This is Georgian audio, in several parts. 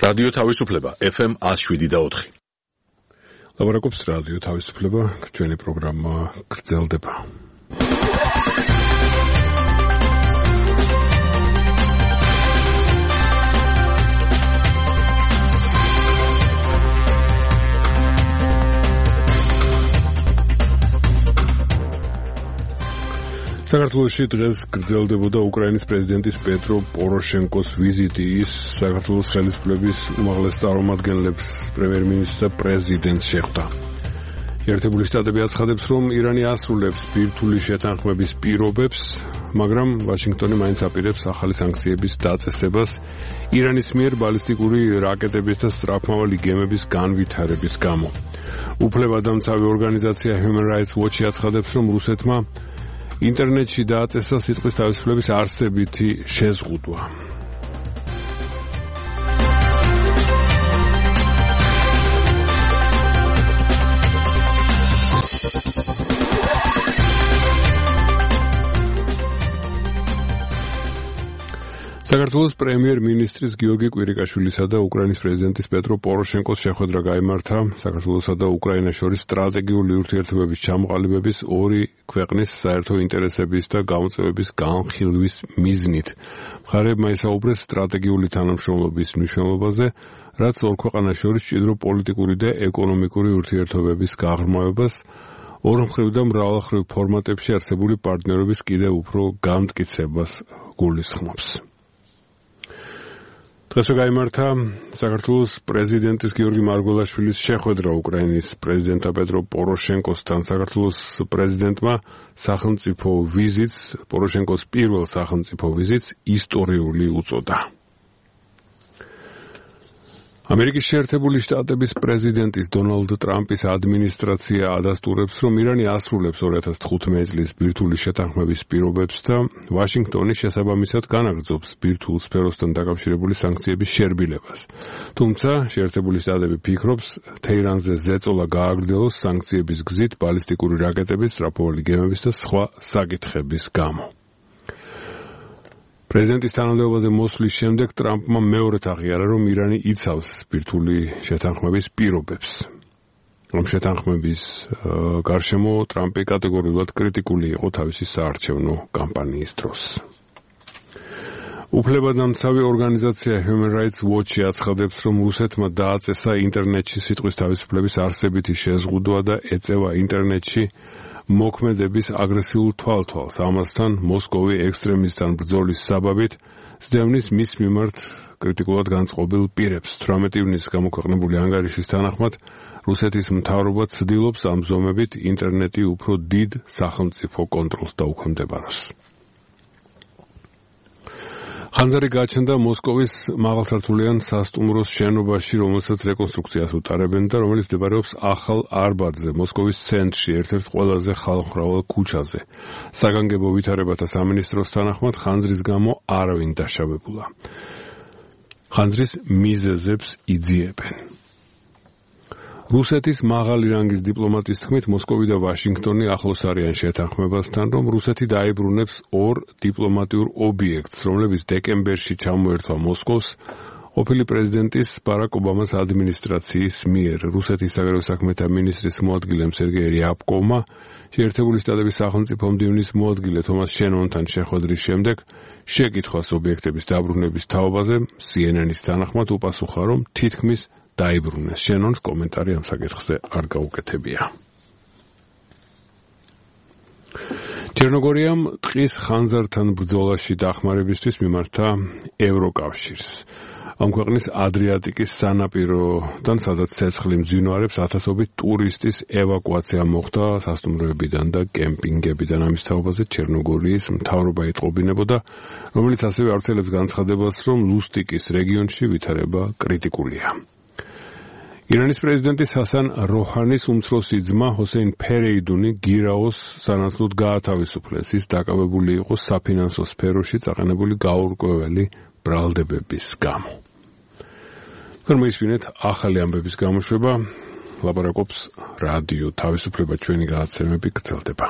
რადიო თავისუფლება FM 107.4. ლაპარაკობს რადიო თავისუფლება, ჩვენი პროგრამა გრძელდება. საქართველოში დღეს გრძელდებოდა უკრაინის პრეზიდენტის პეტრო პოროშენკოს ვიზიტი. ის საქართველოს ხელისუფლების უმაღლეს წარმომადგენლებს, პრემიერ-მინისტრს და პრეზიდენტს შეხვდა. ერთებული შტატები აცხადებს, რომ ირანი ასრულებს ბირთვული შეთანხმების პირობებს, მაგრამ ვაშინგტონი მაინც აპირებს ახალი სანქციების დაწესებას ირანის მიერ ბალისტიკური რაკეტების და სწრაფმავალი გემების განვითარების გამო. უფლებადამცავი ორგანიზაცია Human Rights Watch აცხადებს, რომ რუსეთმა ინტერნეტში დააწესა სიტყვის თავისუფლების არსებითი შეზღუდვა. საქართველოს პრემიერ-მინისტრის გიორგი კვირიკაშვილისა და უკრაინის პრეზიდენტის პეტრო პოროშენკოს შეხვედრა გაიმართა საქართველოსა და უკრაინას შორის სტრატეგიული ურთიერთობების ჩამოყალიბების ორი ქვეყნის საერთო ინტერესების და გამოწვევების განხილვის მიზნით. მხარეებმა ისაუბრეს სტრატეგიული თანამშრომლობის მნიშვნელობაზე, რაც ორ ქვეყანას შორის მჭიდრო პოლიტიკური და ეკონომიკური ურთიერთობების გაღრმავებას, ორმხრივ და მრავალმხრივ ფორმატებში არსებული პარტნიორობის კიდევ უფრო გამტკიცებას გულისხმობს. დღეს გაიმართა საქართველოს პრეზიდენტის გიორგი მარგველაშვილის შეხვედრა უკრაინის პრეზიდენტ პეტრო პოროშენკოსთან. საქართველოს პრეზიდენტმა სახელმწიფო ვიზიტს, პოროშენკოს პირველ სახელმწიფო ვიზიტს ისტორიული უწოდა. ამერიკის შეერთებული შტატების პრეზიდენტის დონალდ ტრამპის ადმინისტრაცია ადასტურებს, რომ ირანი ასრულებს 2015 წლის ბირთვული შეთანხმების პირობებს და ვაშინგტონი შესაბამისად განაგრძობს ბირთვულ სფეროსთან დაკავშირებული სანქციების შერბილებას. თუმცა შეერთებული შტატები ფიქრობს, თეირანზე ზეწოლა გააგრძელოს სანქციების გზით ბალისტიკური რაკეტების, სწრაფმავალი გემების და სხვა საკითხების გამო. პრეზიდენტის თანამდებობაზე მოსვლის შემდეგ ტრამპმა მეორედ აღიარა, რომ ირანი იცავს ბირთვული შეთანხმების პირობებს. რომ შეთანხმების გარშემო ტრამპი კატეგორიულად კრიტიკული იყო თავისი საარჩევნო კამპანიის დროს. უფლებადამცავი ორგანიზაცია Human Rights Watch აცხადებს, რომ რუსეთმა დააწესა ინტერნეტში სიტყვის თავისუფლების არსებითი შეზღუდვა და ეწევა ინტერნეტში მოქმედების აგრესიულ თვალთვალს. ამასთან მოსკოვი ექსტრემისტთან ბრძოლის საბაბით სდევნის მის მიმართ კრიტიკულად განწყობილ პირებს. 18 ივნისს გამოქვეყნებული ანგარიშის თანახმად რუსეთის მთავრობა ცდილობს ამ ზომებით ინტერნეტი უფრო დიდ სახელმწიფო კონტროლს დაუქვემდებაროს. ხანძარი გაჩნდა მოსკოვის მაღალსართულიან სასტუმროს შენობაში, რომელსაც რეკონსტრუქციას უტარებენ და რომელიც მდებარეობს ახალ არბატზე, მოსკოვის ცენტრში, ერთ-ერთ ყველაზე ხალხმრავალ ქუჩაზე. საგანგებო ვითარებათა სამინისტროს თანახმად ხანძრის გამო არავინ დაშავებულა. ხანძრის მიზეზებს იძიებენ. რუსეთის მაღალი რანგის დიპლომატის თქმით, მოსკოვი და ვაშინგტონი ახლოს არიან შეთანხმებასთან, რომ რუსეთი დაიბრუნებს ორ დიპლომატიურ ობიექტს, რომლებიც დეკემბერში ჩამოერთვა მოსკოვს ყოფილი პრეზიდენტის ბარაკ ობამას ადმინისტრაციის მიერ. რუსეთის საგარეო საქმეთა მინისტრის მოადგილემ სერგეი რიაბკოვმა შეერთებული შტატების სახელმწიფო მდივნის მოადგილე თომას შენონთან შეხვედრის შემდეგ შეკითხვას ობიექტების დაბრუნების თაობაზე CNN-ის თანახმად უპასუხა, რომ თითქმის დაიბრუნეს. შენონს კომენტარი ამ საკითხზე არ გაუკეთებია. ჩერნოგორიამ ტყის ხანძართან ბრძოლაში დახმარებისთვის მიმართა ევროკავშირს. ამ ქვეყნის ადრიატიკის სანაპიროდან, სადაც ცეცხლი მძვინვარებს, ათასობით ტურისტის ევაკუაცია მოხდა სასტუმროებიდან და კემპინგებიდან. ამის თაობაზე ჩერნოგორიის მთავრობა იტყობინებოდა, რომელიც ასევე ავრცელებს განცხადებას, რომ ლუსტიკის რეგიონში ვითარება კრიტიკულია. ირანის პრეზიდენტის ჰასან როჰანის უმცროსი ძმა ჰოსეინ ფერეიდუნი გირაოს სანაცვლოდ გაათავისუფლეს. ის დაკავებული იყო საფინანსო სფეროში წაყენებული გაურკვეველი ბრალდებების გამო. მოისმინეთ ახალი ამბების გამოშვება. ლაპარაკობს რადიო თავისუფლება, ჩვენი გადაცემები გრძელდება.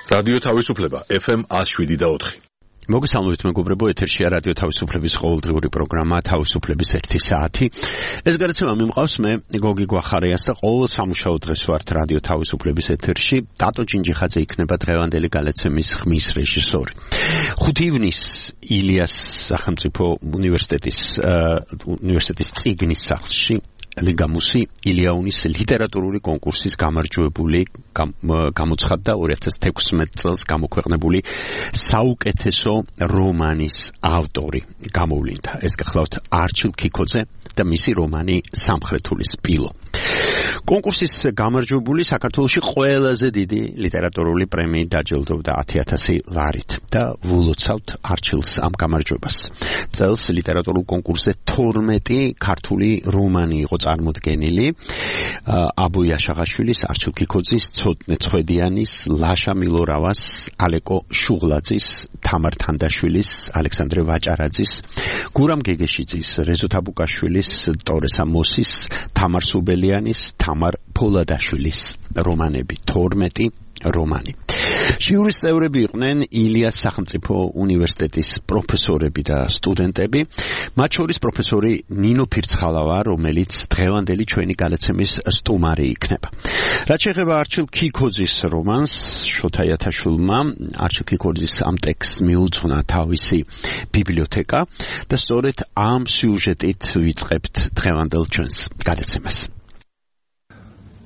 რადიო თავისუფლება FM 107.4. მოგესალმებით მეგობრებო, ეთერშია რადიო თავისუფლების ყოველდღიური პროგრამა თავისუფლების 1 საათი. ეს გადაცემა მიმყავს მე გოგი გვახარიას და ყოველ სამუშაო დღეს ვართ რადიო თავისუფლების ეთერში. დატო ჯინჯიხაძე იქნება დღევანდელი გადაცემის ხმის რეჟისორი. 5 ივნისს ილიას სახელმწიფო უნივერსიტეტის წიგნის სახლში ლიგამუსი ილიაუნის ლიტერატურული კონკურსის გამარჯვებული გამოცხადდა 2016 წელს გამოქვეყნებული საუკეთესო რომანის ავტორი გამოვლინდა. ეს გახლავთ არჩილ ქიქოძე და მისი რომანი სამხრეთული სპილო. კონკურსის გამარჯვებული საქართველოში ყველაზე დიდი ლიტერატურული პრემიით დაჯილდოვდა 10,000 ლარით და ვულოცავთ არჩილს ამ გამარჯვებას. წელს ლიტერატურულ კონკურსზე 12 ქართული რომანი იყო წარმოდგენილი. აბოი აშაღაშვილის, არჩილ ქიქოძის, ცოტნე ცხედიანის, ლაშა მილორავას, ალეკო შუღლაძის, თამარ თანდაშვილის, ალექსანდრე ვაჭარაძის, გურამ გეგეშიძის, რეზო თაბუკაშვილის, ტორე სამოსის, თამარ სუბელიანის, თამარ ფოლადაშვილის რომანები, 12 რომანი. ჟიურის წევრები იყვნენ ილიას სახელმწიფო უნივერსიტეტის პროფესორები და სტუდენტები, მათ შორის პროფესორი ნინო ფირცხალავა, რომელიც დღევანდელი ჩვენი გადაცემის სტუმარი იქნება. რაც შეეხება არჩილ ქიქოძის რომანს, შოთა იათაშვილმა არჩილ ქიქოძის ამ ტექსტს მიუძღვნა თავისი ბიბლიოთეკა და სწორედ ამ სიუჟეტით ვიწყებთ დღევანდელ ჩვენს გადაცემას.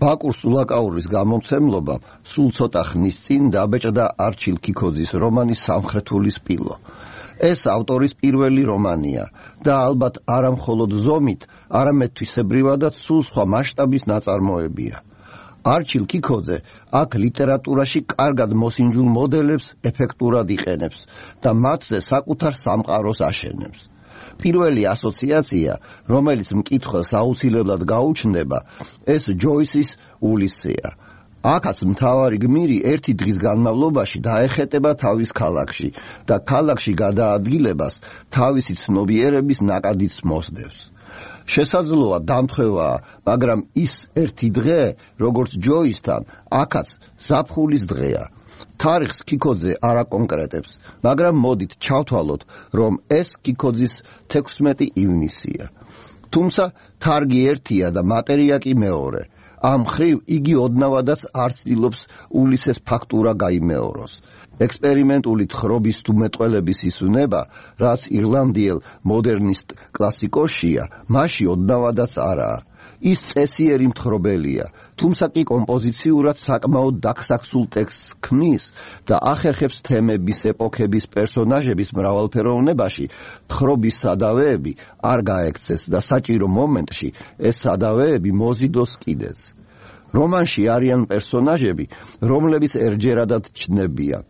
ბაკურ სულაკაურის გამომცემლობა სულ ცოტა ხნის წინ დაბეჭდა არჩილ ქიქოძის რომანი სამხრეთული სპილო. ეს ავტორის პირველი რომანია და ალბათ არა მხოლოდ ზომით, არამედ თვისებრივადაც სულ სხვა მასშტაბის ნაწარმოებია. არჩილ ქიქოძე აქ ლიტერატურაში კარგად მოსინჯულ მოდელებს ეფექტურად იყენებს და მათზე საკუთარ სამყაროს აშენებს. პირველი ასოციაცია, რომელიც მკითხველს აუცილებლად გაუჩნდება, ეს ჯოისის ულისეა. აქაც მთავარი გმირი ერთი დღის განმავლობაში დაეხეტება თავის ქალაქში და ქალაქში გადაადგილებას თავისი ცნობიერების ნაკადიც მოსდევს. შესაძლოა დამთხევაა, მაგრამ ის ერთი დღე, როგორც ჯოისთან, აქაც ზაფხულის დღეა. თარიღს ქიქოძე არ აკონკრეტებს, მაგრამ მოდით ჩავთვალოთ, რომ ეს ქიქოძის 16 ივნისია. თუმცა თარგი ერთია და მატერია კი მეორე. ამ ხრივ იგი ოდნავადაც არ ცდილობს ულისეს ფაქტურა გაიმეოროს. ექსპერიმენტული თხრობის თუ მეტყველების ის უნება, რაც ირლანდიელ მოდერნისტ კლასიკოსია, მასში ოდნავადაც არაა. ის წესიერი მთხრობელია, თუმცა კი კომპოზიციურად საკმაოდ დაქსაქსულ ტექსტს ქმნის და ახერხებს თემების, ეპოქების, პერსონაჟების მრავალფეროვნებაში თხრობის სადავეები არ გაექცეს და საჭირო მომენტში ეს სადავეები მოზიდოს კიდეც. რომანში არიან პერსონაჟები, რომლებიც ერჯერადად ჩნდებიან.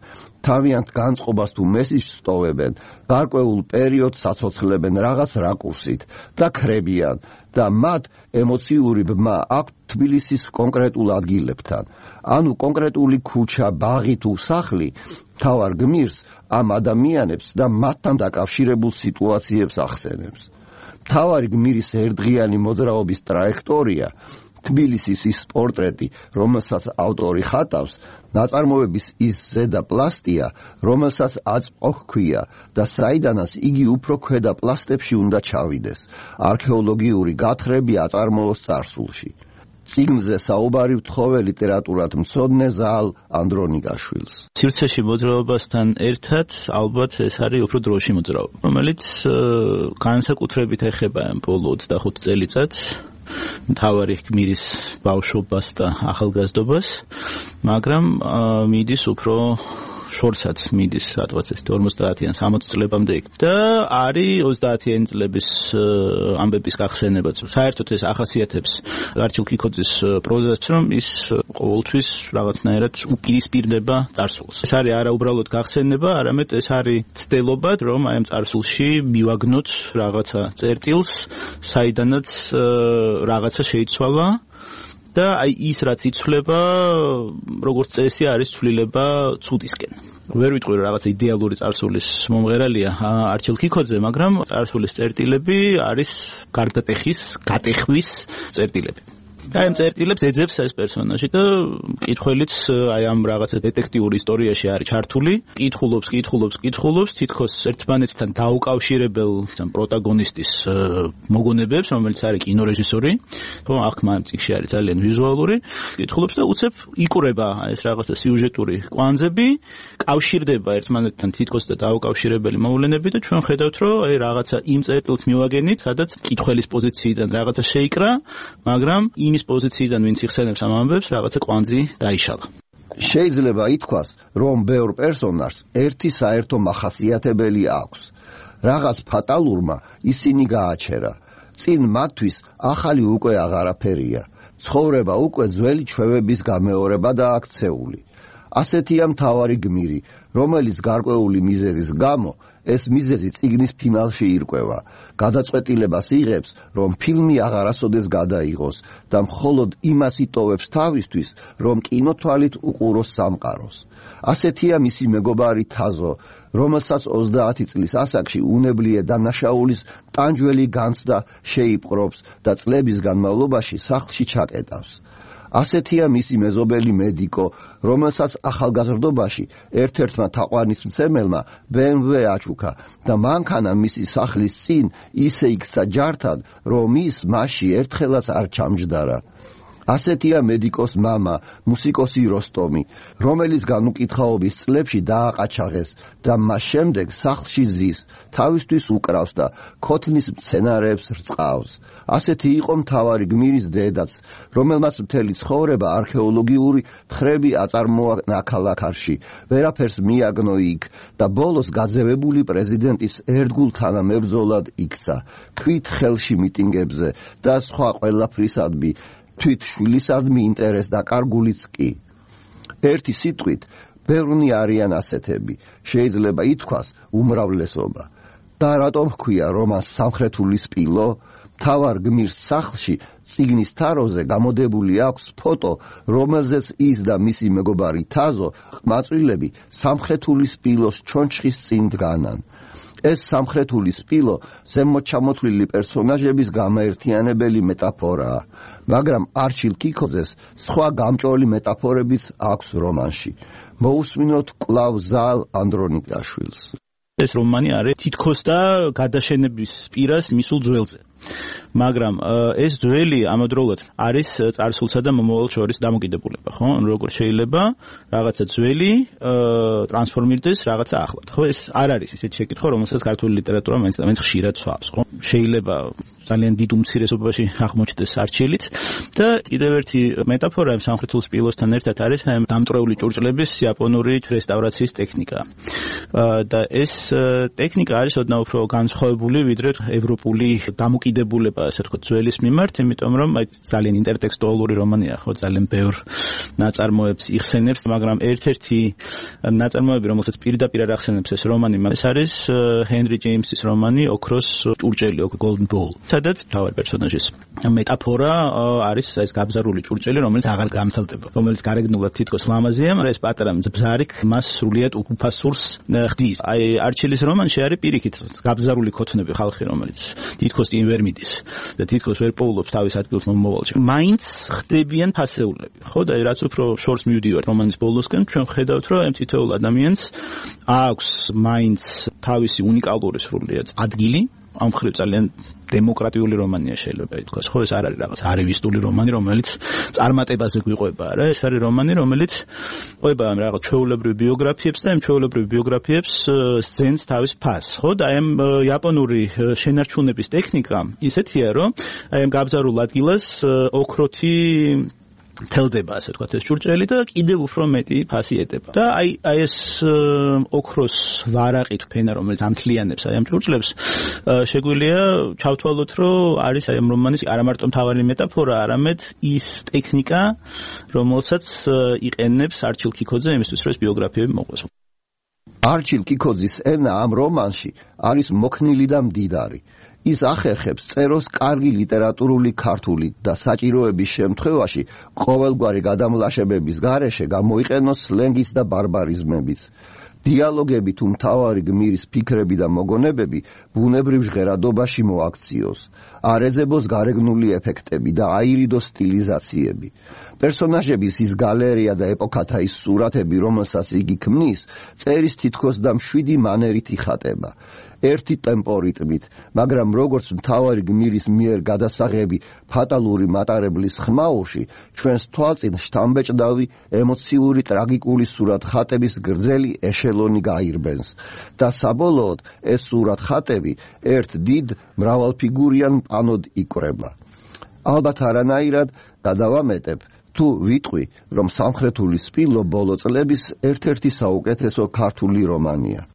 თავიანთ განწყობას თუ მესიჯს სტოვებენ, გარკვეულ პერიოდს აცოცხლებენ რაღაც რაკურსით და ქრებიან და მათ ემოციური ბმა აქვთ თბილისის კონკრეტულ ადგილებთან. ანუ კონკრეტული ქუჩა, ბაღი თუ სახლი მთავარ გმირს ამ ადამიანებს და მათთან დაკავშირებულ სიტუაციებს ახსენებს. მთავარი გმირის ერთდღიანი მოძრაობის ტრაექტორია, თბილისის ის პორტრეტი, რომელსაც ავტორი ხატავს, ნაწარმოების ის ზედა პლასტია, რომელსაც აწმყო ჰქვია და საიდანაც იგი უფრო ქვედა პლასტებში უნდა ჩავიდეს. არქეოლოგიური გათხრები აწარმოოს წარსულში. წიგნზე საუბარი ვთხოვე ლიტერატურად მცოდნე ზაალ ანდრონიკაშვილს. სივრცეში მოძრაობასთან ერთად ალბათ ეს არის უფრო დროში მოძრაობა, რომელიც განსაკუთრებით ეხება ბოლო 25 წელიწადს. მთავარი გმირის ბავშვობას და ახალგაზრდობას, მაგრამ მიდის უფრო შორსაც მიდის, სადღაც ეს 50-დან 60 წლებამდე იქ. და არის 30-იანი წლების ამბების გახსენებაც. საერთოდ ეს ახასიათებს არჩილ ქიქოძის პროზას, რომ ის ყოველთვის რაღაცნაირად უპირისპირდება წარსულს. ეს არის არა უბრალოდ გახსენება, არამედ ეს არის ცდელობა, რომ აი ამ წარსულში მივაგნოთ რაღაცა წერტილს, საიდანაც რაღაცა შეიცვალა. და აი ის რაც იცვლება, როგორც წესი არის ცვლილება ცუდისკენ. ვერ ვიტყვი რომ რაღაც იდეალური წარსულის მომღერალია არჩილ ქიქოძე, მაგრამ წარსულის წერტილები არის გარდატეხის, გატეხვის წერტილები. აი ამ წერტილებს ეძებს ეს პერსონაჟი და მკითხველიც აი ამ რაღაცა დეტექტიურ ისტორიაში არის ჩართული, კითხულობს, თითქოს ერთმანეთთან დაუკავშირებელ პროტაგონისტის მოგონებებს, რომელიც არის კინორეჟისორი, ხო, აქ მან წიგნში არის ძალიან ვიზუალური, კითხულობს და უცებ იკურება ეს რაღაცა სიუჟეტური კვანძები, კავშირდება ერთმანეთთან თითქოს და დაუკავშირებელი მოვლენები და ჩვენ ხედავთ, რომ აი რაღაცა იმ წერტილს მივაგენით, სადაც კითხველის პოზიციიდან რაღაცა შეიკრა, მაგრამ იმის პოზიციიდან ვინც იხსენებს ამ ამბებს, რაღაცა კვანძი დაიშალა. შეიძლება ითქვას, რომ ბევრ პერსონაჟს ერთი საერთო მახასიათებელი აქვს. რაღაც ფატალურმა ისინი გააჩერა. წინ მათთვის ახალი უკვე აღარაფერია. ცხოვრება უკვე ძველი ჩვევების გამეორება და აქცეული. ასეთია მთავარი გმირი, რომელიც გარკვეული მიზეზის გამო ეს მიზეზი წიგნის ფინალში ირკვევა. გადაწყვეტილებას იღებს, რომ ფილმი აღარასოდეს გადაიღოს და მხოლოდ იმას იტოვებს თავისთვის, რომ კინოთვალით უყუროს სამყაროს. ასეთია მისი მეგობარი თაზო, რომელსაც 30 წლის ასაკში უნებლიე დანაშაულის ტანჯველი განცდა შეიპყრობს და წლების განმავლობაში სახლში ჩაკეტავს. ასეთია მისი მეზობელი მედიკო, რომელსაც ახალგაზრდობაში ერთ-ერთმა თაყვანისმცემელმა BMW აჩუქა და მანქანა მისი სახლის წინ ისე იქცა ჯართად, რომ ის მასში ერთხელაც არ ჩამჯდარა. ასეთია მედიკოს მამა, მუსიკოსი როსტომი, რომელიც განუკითხაობის წლებში დააყაჩაღეს და მას შემდეგ სახლში ზის, თავისთვის უკრავს და ქოთნის მცენარეებს რწყავს. ასეთი იყო მთავარი გმირის დედაც, რომელმაც მთელი ცხოვრება არქეოლოგიური თხრები აწარმოა ნაქალაქარში, ვერაფერს მიაგნო იქ და ბოლოს გაძევებული პრეზიდენტის ერთგულ თანამებრძოლად იქცა, ქვით ხელში მიტინგებზე და სხვა ყველაფრისადმი, თვით შვილისადმი ინტერეს და კარგულიც კი. ერთი სიტყვით, ბევრნი არიან ასეთები, შეიძლება ითქვას უმრავლესობა. და რატომ ჰქვია რომანს სამხრეთული სპილო? მთავარ გმირს სახლში წიგნის თაროზე გამოდებული აქვს ფოტო, რომელზეც ის და მისი მეგობარი თაზო ყმაწვილები სამხრეთული სპილოს ჩონჩხის წინ დგანან. ეს სამხრეთული სპილო ზემოჩამოთვლილი პერსონაჟების გამაერთიანებელი მეტაფორაა, მაგრამ არჩილ კიქოძეს სხვა გამჭოლი მეტაფორებიც აქვს რომანში. მოусმინოთ კვლავ ზალ ანდრონიკაშვილს. ეს რომანი არის თითქოს და გადაშენების პირას მისულ ძველზე. მაგრამ ეს ძველი ამავდროულად არის წარსულსა და მომავალს შორის დამოკიდებულება, ხო? როგორ შეიძლება რაღაცა ძველი ტრანსფორმირდეს რაღაცა ახლად, ხო? ეს არ არის ისეთი შეკითხვა, რომელსაც ქართული ლიტერატურა მაინც და მაინც ხშირად სვავს, ხო? შეიძლება ძალიან დიდ უმცირესობაში აღმოჩნდეს არჩილიც და კიდევ ერთი მეტაფორა სამხრეთულ სპილოსთან ერთად არის დამტრეული ჭურჭლების იაპონური რესტავრაციის ტექნიკა. და ეს ტექნიკა არის ოდნავ უფრო განსხვავებული ვიდრე ევროპული დამოკიდებულება, ასე ვთქვათ, ძველის მიმართ, იმიტომ რომ ძალიან ინტერტექსტუალური რომანია, ხო, ძალიან ბევრ ნაწარმოებს იხსენებს, მაგრამ ერთ-ერთი ნაწარმოები, რომელსაც პირდაპირ არ ახსენებს ეს რომანი, ეს არის ჰენრი ჯეიმსის რომანი ოქროს ჭურჭელი, Golden Ball. სადაც მთავარი პერსონაჟის მეტაფორა არის ეს გაბზარული ჭურჭელი, რომელიც აღარ გამთელდება, რომელიც გარეგნულად თითქოს ლამაზია, მაგრამ ეს პატარა ბზარიკ მას სრულიად უფასურს ხდის. აი არჩილის რომანში არის პირიქით გაბზარული ქოთნები ხალხი, რომელიც თითქოს იმ ვერ მიდის და თითქოს ვერ პოულობს თავის ადგილს მომავალში. მაინც ხდებიან ფასეულები, ხო და რაც უფრო შორს მივდივართ რომანის ბოლოსკენ, ჩვენ ხედავთ, რომ ამ თითოეულ ადამიანს აქვს მაინც თავისი უნიკალური სრულიად ადგილი. ამ მხრივ ძალიან დემოკრატიული რომანია შეიძლება ითქვას, ხო, ეს არ არის რაღაც არივისტული რომანი, რომელიც წარმატებაზე გვიყვება, რა, ეს არის რომანი, რომელიც ყვება ამ რაღაც ჩვეულებრივ ბიოგრაფიებს და ამ ჩვეულებრივ ბიოგრაფიებს სცენს თავის ფასს, ხო, და ამ იაპონური შენარჩუნების ტექნიკა ისეთია, რომ აი ამ გაბზარულ ადგილას ოქროთი თელდება, ასე ვთქვათ, ეს ჭურჭელი და კიდევ უფრო მეტი ფასი ეტება. და აი ეს ოქროს ვარაყით ფენა, რომელიც ამთლიანებს აი ამ ჭურჭლებს, შეგვიძლია ჩავთვალოთ, რომ არის აი ამ რომანის არა მარტო მთავარი მეტაფორა, არამედ ის ტექნიკა, რომელსაც იყენებს არჩილ კიქოძე იმისთვის, რომ ეს ბიოგრაფიები მოყვეს. არჩილ კიქოძის ენა ამ რომანში არის მოქნილი და მდიდარი. ის ახერხებს წეროს კარგი ლიტერატურული ქართული და საჭიროების შემთხვევაში ყოველგვარი გადამლაშებების გარეშე გამოიყენოს სლენგის და ბარბარიზმებიც. დიალოგები თუ მთავარი გმირის ფიქრები და მოგონებები ბუნებრივ ჟღერადობაში მოაქციოს, არ ეძებოს გარეგნული ეფექტები და აირიდოს სტილიზაციები. პერსონაჟების ის გალერეა და ეპოქათა ის სურათები, რომელსაც იგი ქმნის, წერის თითქოს და მშვიდი მანერით იხატება. ერთი ტემპორიტმით, მაგრამ როგორც მთავარი გმირის მიერ გადასაღები ფატალური მატარებლის ხმაურში, ჩვენს თვალწინ შთამბეჭდავი ემოციური ტრაგიკული სურათხატების გრძელი ეშელონი გაირბენს და საბოლოოდ ეს სურათხატები ერთ დიდ მრავალფიგურიან პანოდ იკვრება. ალბათ არანაირად გადავამეტებ თუ ვიტყვი, რომ სამხრეთული სპილო ბოლო წლების ერთ-ერთი საუკეთესო ქართული რომანია.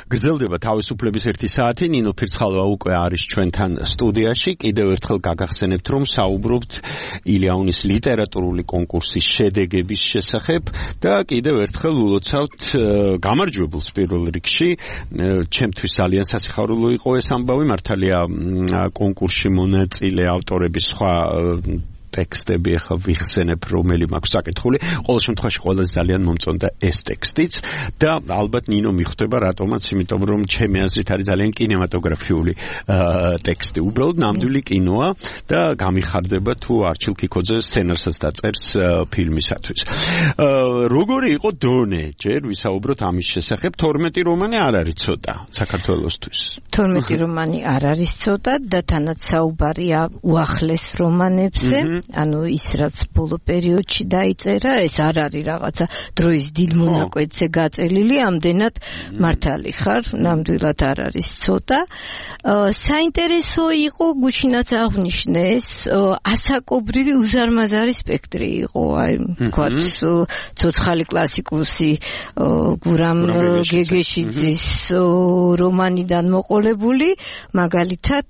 გრძელდება თავისუფლების 1 საათი. ნინო ფირცხალოვა უკვე არის ჩვენთან სტუდიაში. კიდევ ერთხელ გაგახსენებთ, რომ საუბრობთ ილიაუნის ლიტერატურული კონკურსის შედეგების შესახებ და კიდევ ერთხელ ულოცავთ გამარჯვებულს პირველ რიგში. ჩემთვის ძალიან სასიხარულო იყო ეს ამბავი. მართალია კონკურსში მონაწილე ავტორების სხვა ტექსტები ახლა ვიხსენებ, რომელი მაქვს საკითხული. ყოველ შემთხვევაში ყველაზე ძალიან მომწონდა ეს ტექსტიც და ალბათ ნინო მიხვდება რატომაც, იმიტომ რომ ჩემი აზრით არის ძალიან კინემატოგრაფიული ტექსტი. უბრალოდ ნამდვილი კინოა და გამიხარდება თუ არჩილ კიკოძე სცენარსაც დაწერს ფილმისათვის. როგორი იყო დონე? ჯერ ვისაუბროთ ამის შესახებ. 12 რომანი არ არის ცოტა საქართველოსთვის. 12 რომანი არ არის ცოტა და თანაც საუბარია უახლეს რომანებზე. ანუ ის რაც ბოლო პერიოდში დაიწერა, ეს არ არის რაღაცა დროის დიდ მონაკვეთზე გაწელილი, ამდენად მართალი ხარ, ნამდვილად არ არის ცოტა. საინტერესო იყო, გუშინაც აღვნიშნე ეს, ასაკობრივი უზარმაზარი სპექტრი იყო, აი, ვთქვათ, ცოცხალი კლასიკოსი გურამ გეგეშიძის რომანიდან მოყოლებული, მაგალითად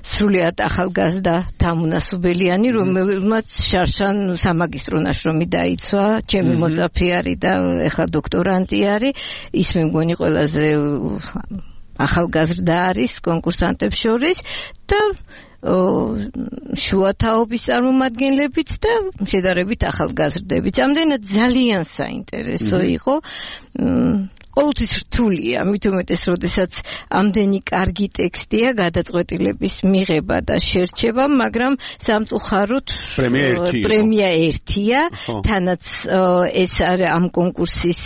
სრულიად ახალგაზრდა თამუნა სუბელიანი, რომელმაც შარშან სამაგისტრო ნაშრომი დაიცვა, ჩემი მოწაფე არის და ეხლა დოქტორანტი არის, ის მე მგონი ყველაზე ახალგაზრდა არის კონკურსანტებს შორის და შუათაობის წარმომადგენლებიც და შედარებით ახალგაზრდებით. ამდენად ძალიან საინტერესო იყო. ყოველთვის რთულია, მით უმეტეს, როდესაც ამდენი კარგი ტექსტია, გადაწყვეტილების მიღება და შერჩება, მაგრამ სამწუხაროდ პრემია ერთია, თანაც ეს არის ამ კონკურსის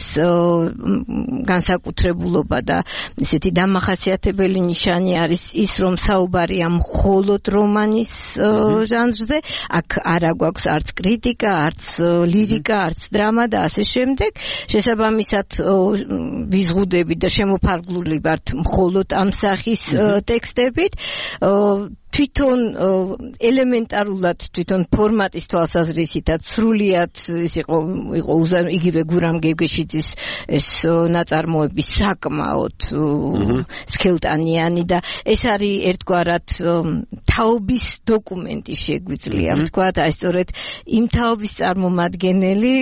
განსაკუთრებულობა და ესეთი დამახასიათებელი ნიშანი არის ის, რომ საუბარია მხოლოდ რომანის ჟანრზე, აქ არ აგვაქვს არც კრიტიკა, არც ლირიკა, არც დრამა და ასე შემდეგ. შესაბამისად ვიზღუდები და შემოფარგლული ვართ მხოლოდ ამ სახის ტექსტებით. თვითონ ელემენტარულად თვითონ ფორმატის თვალსაზრისითაც სრულიად ის იყო იგივე გურამ გეგეშიძის ეს ნაწარმოები საკმაოდ სქელტანიანი და ეს არის ერთგვარად თაობის დოკუმენტი შეგვიძლია ვთქვათ, აი სწორედ იმ თაობის წარმომადგენელი,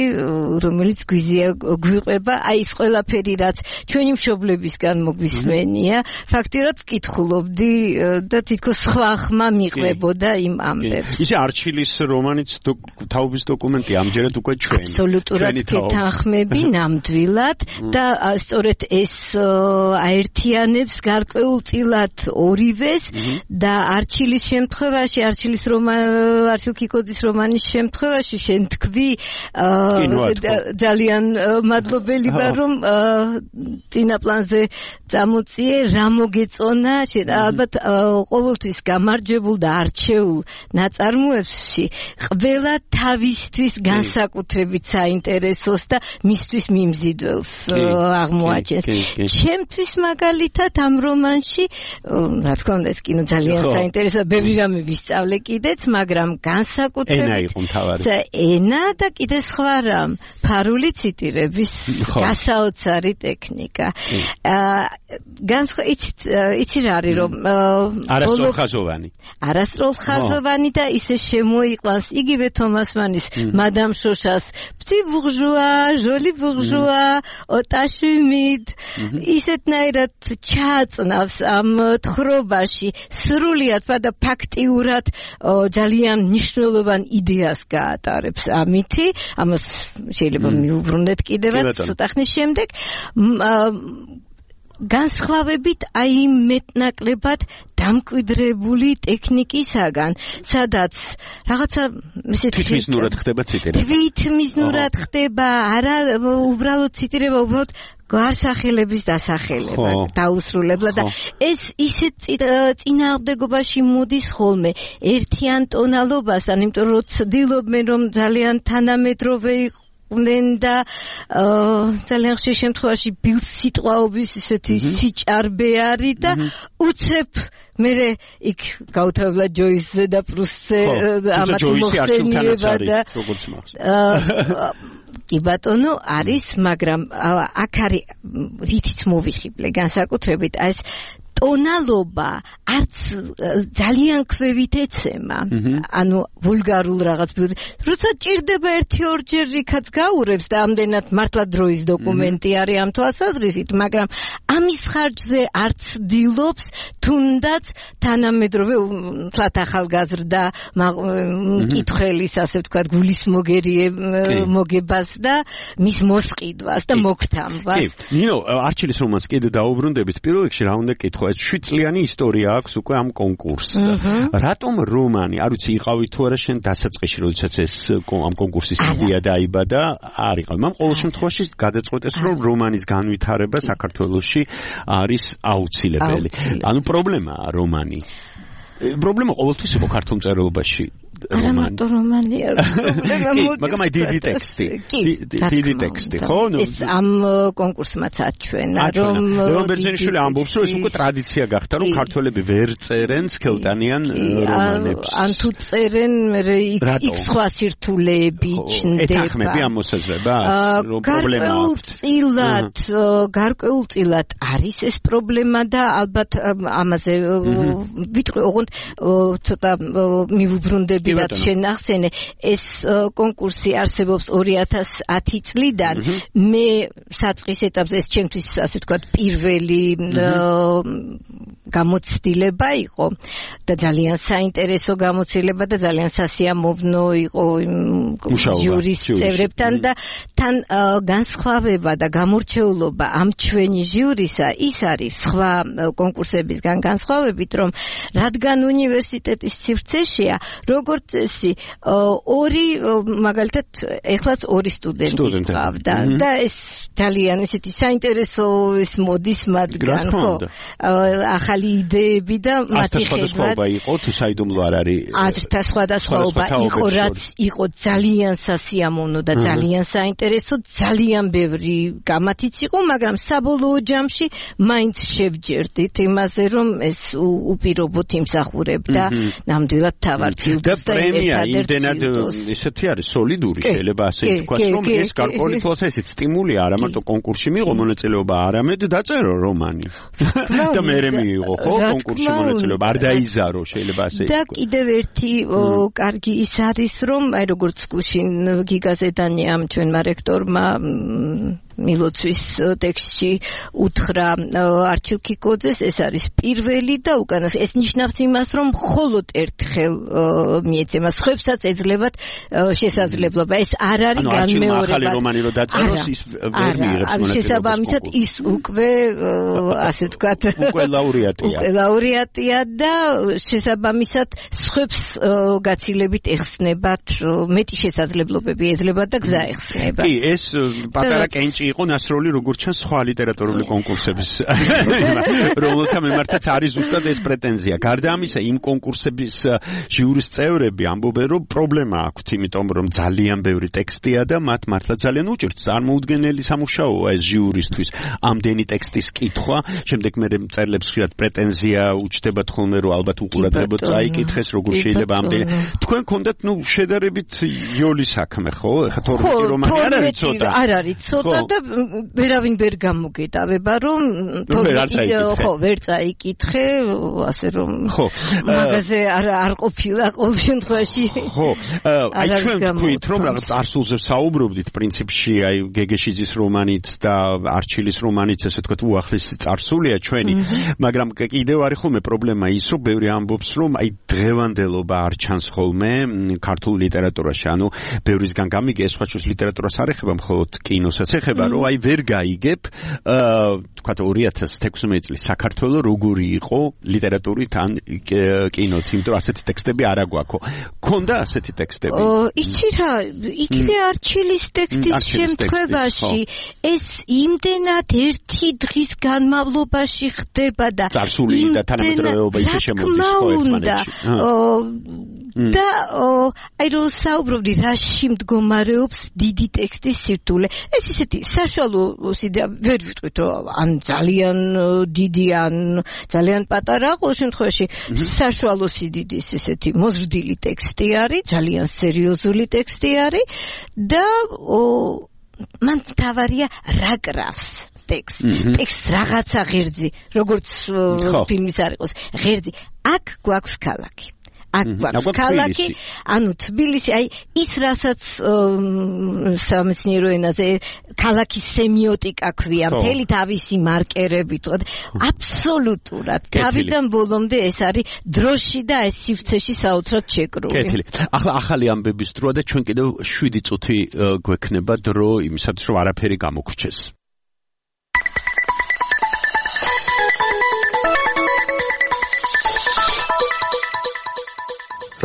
რომელიც გვიყვება, აი ეს ყველაფერი რაც ჩვენი მშობლებისგან მოგვისმენია, ფაქტიურად ვკითხულობდი და თითქოს სხვა ხმა მიყვებოდა იმ ამბებს. ისე არჩილის რომანიც თაობის დოკუმენტი ამჯერად უკვე ჩვენ. აბსოლუტურად გეთანხმები ნამდვილად და სწორედ ეს აერთიანებს გარკვეულწილად ორივეს და არჩილის შემთხვევაში, არჩილ კიკოძის რომანის შემთხვევაში შენ თქვი ძალიან მადლობელი ვარ რომ წინა პლანზე წამოწიე, რა მოგეწონა, ალბათ ყოველთვის გამარჯვებულ და არჩეულ ნაწარმოებში ყველა თავისთვის განსაკუთრებით საინტერესოს და მისთვის მიმზიდველს აღმოაჩენს. ჩემთვის მაგალითად ამ რომანში, რა თქმა უნდა, ეს კინო ძალიან საინტერესოა, ბევრი რამე ვისწავლე კიდეც, მაგრამ განსაკუთრებით ენა და კიდე სხვა რამ, ფარული ციტირების გასაოცარი ტექნიკა. იცი რა არის, რომ არასწორხაზოვანი და ისე შემოიყვანს იგივე თომას მანის მადამ შოშას petit bourgeois, joli bourgeois, ოტაშვიმიდ ისეთნაირად ჩააწნავს ამ თხრობაში სრულიად და ფაქტიურად ძალიან მნიშვნელოვან იდეას გაატარებს ამითი, ამას შეიძლება მიუბრუნდეთ კიდევაც ცოტა ხნის შემდეგ. განსხვავებით აი მეტნაკლებად დამკვიდრებული ტექნიკისაგან, სადაც რაღაცა თვითმიზნურად ხდება ციტირება. თვითმიზნურად ხდება, არა უბრალოდ ციტირება, უბრალოდ გარსახელების დასახელება დაუსრულებლა და ეს ისეთ წინააღმდეგობაში მოდის ხოლმე ერთიან ტონალობასთან, იმიტომ რომ ცდილობენ რომ ძალიან თანამედროვე და ძალიან ხშირ შემთხვევაში ბილსიტყვაობის ისეთი სიჭარბე არის და უცებ მერე იქ გაუთავებლა ჯოისზე და პრუსტზე ამათ მოხსენიება და კი ბატონო არის, მაგრამ აქ არის რითიც მოვიხიბლე განსაკუთრებით ეს ტონალობა არც ძალიან ქვევით ეცემა. ანუ ვულგარულ რაღაც როცა ჭირდება 1-2 რიქაც გაურევს და ამდენად მართლა დროის დოკუმენტი არის ამ თვალსაზრისით, მაგრამ ამის ხარჯზე არც დილობს თუნდაც თანამედროვე თლათ ახალგაზრდა მკითხველის ასე ვთქვათ გულის მოგებას და მის მოსყიდვას და მოგთამბას. კი, ნინო, არჩილის რომანს კიდე დაუბრუნდებით. პირველ რიგში რა უნდა კითხო? ეს 7 წლიანი ისტორია აქვს უკვე ამ კონკურსს. რატომ რომანი? არ ვიცი, იყავით თუ არა შენ დასაწყისში, როდესაც ეს ამ კონკურსის იდეა დაიბადა, არ იყავ. მაგრამ ყოველ შემთხვევაში გადაწყვეტეს, რომ რომანის განვითარება საქართველოში არის აუცილებელი. ანუ პრობლემაა რომანი. პრობლემა ყოველთვის იყო ქართულ მწერლობაში. არა მარტო რომანი არ პრობლემა მაგრამ აი დიდი ტექსტი. დიდი ტექსტი, ხო? ეს ამ კონკურსმაც აჩვენა, რომ ლევან ბერძენიშვილი ამბობს, რომ ეს უკვე ტრადიცია გახდა, რომ ქართველები ვერ წერენ სქელტანიან რომანებს. ან თუ წერენ, იქ სხვა სირთულეები ჩნდება. ეთანხმები ამ მოსაზრებას, რომ პრობლემა აქვს. გარკვეულწილად არის ეს პრობლემა და ალბათ ამაზე ვიტყვი, ოღონდ ცოტა მივუბრუნდები რაც შენახსენე, ეს კონკურსი არსებობს 2010 წლიდან. მე საწყის ეტაპზე ეს ჩემთვის ასე ვთქვათ პირველი გამოცდილება იყო და ძალიან საინტერესო გამოცდილება და ძალიან სასიამოვნო იყო ჟურის წევრებთან და თან განსხვავება და გამორჩეულობა ამ ჩვენი ჟიურისა ის არის სხვა კონკურსებისგან განსხვავებით, რომ რადგან უნივერსიტეტის სივრცეშია, როგორც წესი, მაგალითად, ეხლაც 2 სტუდენტი ყავდა და ეს ძალიან ესეთი საინტერესო ის მოდის მათგან, ხო? ახალი იდეები და მათი სხვადასხვაობა იყო, თუ საიდუმლო არ არის. აზრთა სხვადასხვაობა იყო, რაც იყო ძალიან სასიამოვნო და ძალიან საინტერესო, ძალიან ბევრი გამათიც იყო, მაგრამ საბოლოო ჯამში მაინც შევჯერდით იმაზე, რომ ეს უპირობოდ იმსახურებდა ნამდვილად თავარ ჯილდოს და პრემია იმდენად ისეთი არის სოლიდური, შეიძლება ასე ითქვას, რომ ეს გარკვეული თვალსაზრისით სტიმულია არა მარტო კონკურსში მიიღო მონაწილეობა, არამედ დაწერო რომანი. და მერე მიიღო, ხო, კონკურსში მონაწილეობა, არ დაიზარო, შეიძლება ასე ითქვას. და კიდევ ერთი კარგი ის არის, რომ აი როგორც გუშინ გიგაზე დანიამ ჩვენმა რექტორმა მილოცვის ტექსტში უთხრა არჩილ კიკოძეს, ეს არის პირველი და უკანასკნელი. ეს ნიშნავს იმას, რომ მხოლოდ ერთხელ მიეცემა, სხვებსაც ეძლებათ შესაძლებლობა. ეს არ არის განმეორება. ახალი რომანი რო დაწეროს, ის ვერ მიიღებს მონაწილეობას. შესაბამისად ის უკვე ასე ვთქვათ, უკვე ლაურეატია და შესაბამისად სხვებს გაცილებით ეხსნებათ, მეტი შესაძლებლობები ეძლებათ და გზა ეხსნებათ. კი, ეს პატარა კენჭი იყო ნასროლი როგორც ჩანს სხვა ლიტერატურული კონკურსების რომელთა მიმართაც არის ზუსტად ეს პრეტენზია. გარდა ამისა, იმ კონკურსების ჟიურის წევრები ამბობენ, რომ პრობლემა აქვთ, იმიტომ რომ ძალიან ბევრი ტექსტია და მათ მართლა ძალიან უჭირთ წარმოუდგენელი სამუშაოა ეს ჟიურისთვის. ამდენი ტექსტის კითხვა, შემდეგ მე მწერლებს ხშირად პრეტენზია უჩნდებათ ხოლმე, რომ ალბათ უყურადღებოდ წაიკითხეს, როგორ შეიძლება ამდენი. თქვენ გქონდათ შედარებით იოლი საქმე, ხო? ეხლა 12 რომანი არ არის ცოტა. არ არის ცოტა და ვერავინ ვერ გამოგეტავება, რომ ვერ წაიკითხე, ასე რომ მაგაზე არ ყოფილა ყოველ შემთხვევაში. ხო, აი ჩვენ თქვით, რომ რაღაც წარსულზე საუბრობდით პრინციპში, აი გეგეშიძის რომანით და არჩილის რომანით, ესე ვთქვათ, უახლესი წარსულია ჩვენი, მაგრამ კიდევ არის ხოლმე პრობლემა ის, რომ ბევრი ამბობს, რომ აი დღევანდელობა არ ჩანს ხოლმე ქართულ ლიტერატურაში, ანუ ბევრისგან გამიგე, ეს სხვა ჩვენს ლიტერატურას არ ეხება, მხოლოდ კინოსაც ეხება, რომ აი ვერ გაიგებ, თქვათ 2016 წლის საქართველო როგორი იყო ლიტერატურით ან კინოთ, იმიტომ რომ ასეთი ტექსტები არ აგვაქვს. ქონდა ასეთი ტექსტები? იცი რა, იგივე არჩილის ტექსტის შემთხვევაში ეს იმდენად ერთი დღის განმავლობაში ხდება და წარსული და თანამედროვეობა ისე შემოდის ხო ერთმანეთში. და აი რომ საუბრობდი რაში მდგომარეობს დიდი ტექსტის სირთულე. ეს ისეთი საშუალო სიდიდე ვერ ვიტყვით, რომ ან ძალიან დიდი ან ძალიან პატარა, ყოველ შემთხვევაში საშუალო სიდიდის ესეთი მოზრდილი ტექსტი არის, ძალიან სერიოზული ტექსტი არის და თავარია რა კრავს ტექსტ რაღაცა ღერძი როგორც ფილმის არ იყოს ღერძი აქ გვაქვს ქალაქი აქ გვაქვს ქალაქი ანუ თბილისი აი ის რასაც სამეცნიერო ენაზე ქალაქის სემიოტიკა ქვია მთელი თავისი მარკერებით აბსოლუტურად თავიდან ბოლომდე ეს არის დროში და ეს სივრცეში საოცრად შეკრული კეთილი ახლა ახალი ამბების დროა და ჩვენ კიდევ 7 წუთი გვექნება დრო იმისათვის რომ არაფერი გამოგრჩეს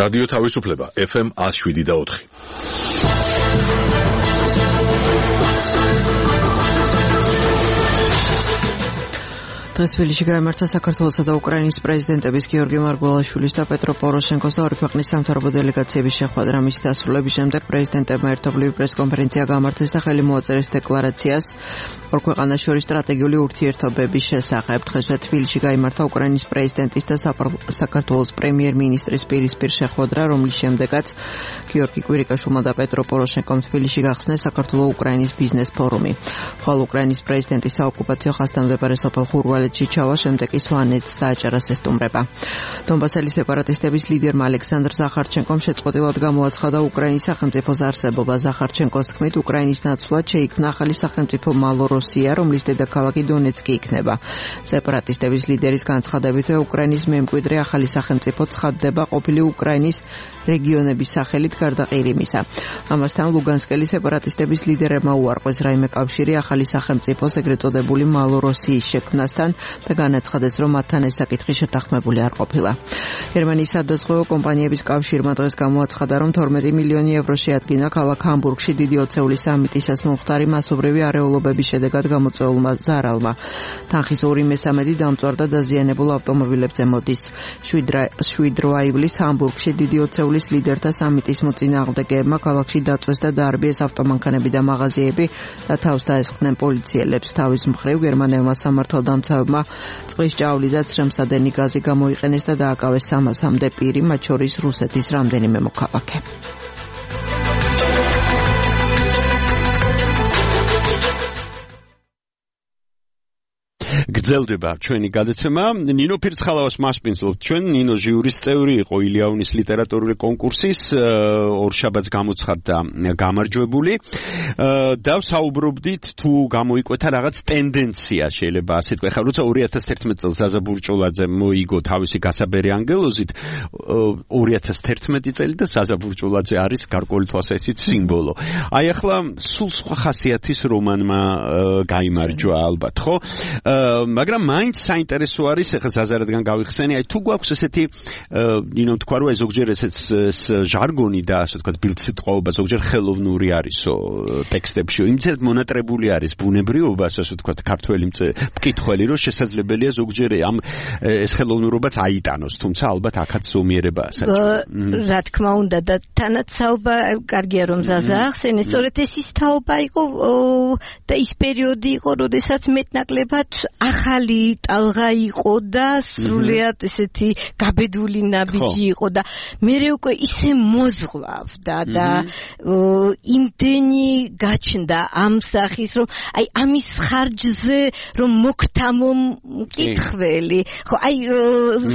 რადიო თავისუფლება FM 107.4 დღეს თბილისში გაიმართა საქართველოსა და უკრაინის პრეზიდენტების გიორგი მარგველაშვილის და პეტრო პოროშენკოს და ორი ქვეყნის სამთავრობო დელეგაციების შეხვედრა. მისი დასრულების შემდეგ პრეზიდენტებმა ერთობლივი პრესკონფერენცია გამართეს და ხელი მოაწერეს დეკლარაციას ორ ქვეყანას შორის სტრატეგიული ურთიერთობების შესახებ. დღესვე თბილისში გაიმართა უკრაინის პრეზიდენტის და საქართველოს პრემიერ-მინისტრის პირისპირ შეხვედრა, რომლის შემდეგაც გიორგი კვირიკაშვილმა და პეტრო პოროშენკომ თბილისში გახსნეს საქართველო-უკრაინის ბიზნეს ფორუმი. ხოლო უკრაინის პრეზიდენტის საოკუპაციო ხაზთამდებარე სოფელ ხურვალეთში ჩავა, შემდეგ ის სვანეთს დააჭერას ესტუმრება. დონბასელი სეპარატისტების ლიდერმა ალექსანდრ ზახარჩენკომ შეწყვეტილად გამოაცხადა უკრაინის სახელმწიფოს არსებობა. ზახარჩენკოს თქმით, უკრაინის ნაცვლად შეიქმნა ახალი სახელმწიფო მალოროსია, რომლის დედაქალაქი დონეცკი იქნება. სეპარატისტების ლიდერის განცხადებით, უკრაინის მემკვიდრე ახალი სახელმწიფო ცხადდება ყოფილი უკრაინის რეგიონების სახელით გარდა ყირიმისა. ამასთან ლუგანსკელი სეპარატისტების ლიდერებმა უარყვეს რაიმე კავშირი ახალი სახელმწიფოს ეგრეთ წოდებული მალოროსიის შექმნასთან და განაცხადეს, რომ მათთან ეს საკითხი შეთანხმებული არ ყოფილა. გერმანიის სადაზღვევო კომპანიების კავშირმა დღეს გამოაცხადა, რომ 12 მილიონი ევრო შეადგინა ქალაქ ჰამბურგში დიდი ოცეულის სამიტისას მომხდარი მასობრივი არეულობების შედეგად გამოწვეულმა ზარალმა. თანხის 2/3 დამწვარ და დაზიანებულ ავტომობილებზე მოდის. 7 აივლის ჰამბურგში დიდი ოცეულის ლიდერთა სამიტის მოწინააღმდეგეებმა ქალაქში დაწვეს და დაარბიეს ავტომანქანები და მაღაზიები და თავს დაესხდნენ პოლიციელებს. თავის მხრივ გერმანელმა სამართალდამცავებმა წყლის ჭავლი და ცრემსადენი გაზი გამოიყენეს და დააკავეს 300-მდე პირი, მათ შორის რუსეთის რამდენიმე მოქალაქე. გრძელდება ჩვენი გადაცემა. ნინო ფირცხალავას მასპინძლობთ ჩვენ. ნინო ჟიურის წევრი იყო ილიაუნის ლიტერატურული კონკურსის, ორშაბათს გამოცხადდა გამარჯვებული. და საუბრობდით თუ გამოიკვეთა რაღაც ტენდენცია, შეიძლება ასე თქვა. ხა როცა 2011 წელს ზაზა ბურჭულაძე მოიგო თავისი გასაბერი ანგელოზით, 2011 წელი და ზაზა ბურჭულაძე არის გარკვეული თვალსაზრისით სიმბოლო. აი ახლა სულ სხვა ხასიათის რომანმა გაიმარჯვა ალბათ, ხო? მაგრამ მაინც საინტერესო არის, ახლა ზაზარადგან გავიხსენი, აი თუ გვაქვს ესეთი ნინო თქვა რომ ზოგჯერ ესეც ჟარგონი და ასე ვთქვათ ბილდსიტყვაობა ზოგჯერ ხელოვნური არისო ტექსტებში, იმცერთ მონატრებული არის ბუნებრიობა, ასე ვთქვათ ქართველი მკითხველი, რომ შესაძლებელია ზოგჯერ ამ ეს ხელოვნურობაც აიტანოს, თუმცა ალბათ აქაც ზომიერებაა საჭირო. რა თქმა უნდა და თანაც საუბა კარგია რომ ზაზა ახსენე, სწორედ ეს ის თაობა იყო და ის პერიოდი იყო, როდესაც მეტნაკლებად ახალი ტალღა იყო და სრულიად ესეთი გაბედული ნაბიჯი იყო და მე უკვე ისე მოზღვავდა და იმდენი გაჩნდა ამ სახის რომ აი ამის ხარჯზე რომ მოგთამო მკითხველი ხო აი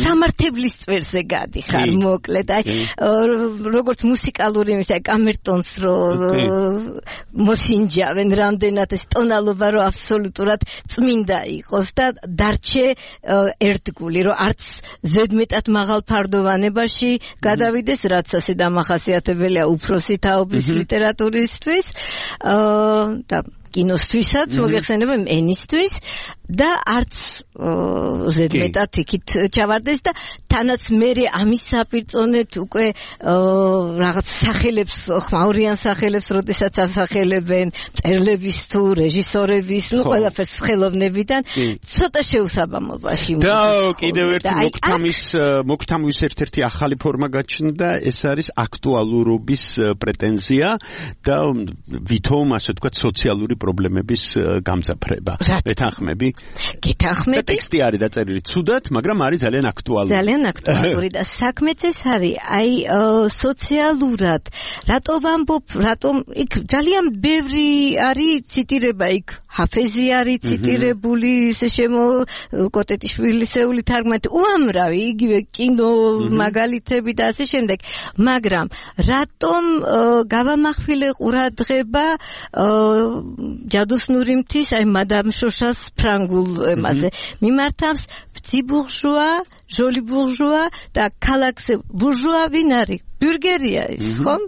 სამართებლის წვერზე გადიხარ მოკლედ აი როგორც მუსიკალური იმის აი კამერტონს რომ მოსინჯავენ რამდენად ეს ტონალობა რომ აბსოლუტურად წმინდა იყოს და დარჩე ერთგული რომ არც ზედმეტად მაღალ ფარდოვანებაში გადავიდეს რაც ასე დამახასიათებელია უფროსი თაობის ლიტერატურისთვის და კინოსთვისაც მოგეხსენება ენისთვის და არც ზედმეტად იქით ჩავარდეს და თანაც მე ამის საპირწონეთ უკვე რაღაც სახელებს ხმაურიან სახელებს როდესაც ასახელებენ წერლების თუ რეჟისორების ნუ ყველაფერს ხელოვნებიდან ცოტა შეუსაბამობაში და კიდევ ერთი მოგთამვის ერთ-ერთი ახალი ფორმა გაჩნდა ეს არის აქტუალურობის პრეტენზია და ვითომ ასე ვთქვათ სოციალური პრობლემების გამძაფრება. ეთანხმები? გეთანხმები. ტექსტი არის დაწერილი ცუდად, მაგრამ არის ძალიან აქტუალური. ძალიან აქტუალური და საქმეც ეს არის, აი სოციალურად რატო ვამბობ, რატომ იქ ძალიან ბევრი არის ციტირება იქ ჰაფეზი არის ციტირებული ისე კოტეტიშვილისეული თარგმანით უამრავი იგივე კინო მაგალითები და ასე შემდეგ მაგრამ რატომ გავამახვილე ყურადღება ჯადოსნური მთის აი მადამ შოშას ფრანგულ ემაზე მიმართავს ბურჟუა ჟოლი ბურჟუა და ქალაქზე ბურჟუა ვინ არის ბურგერია ის ხომ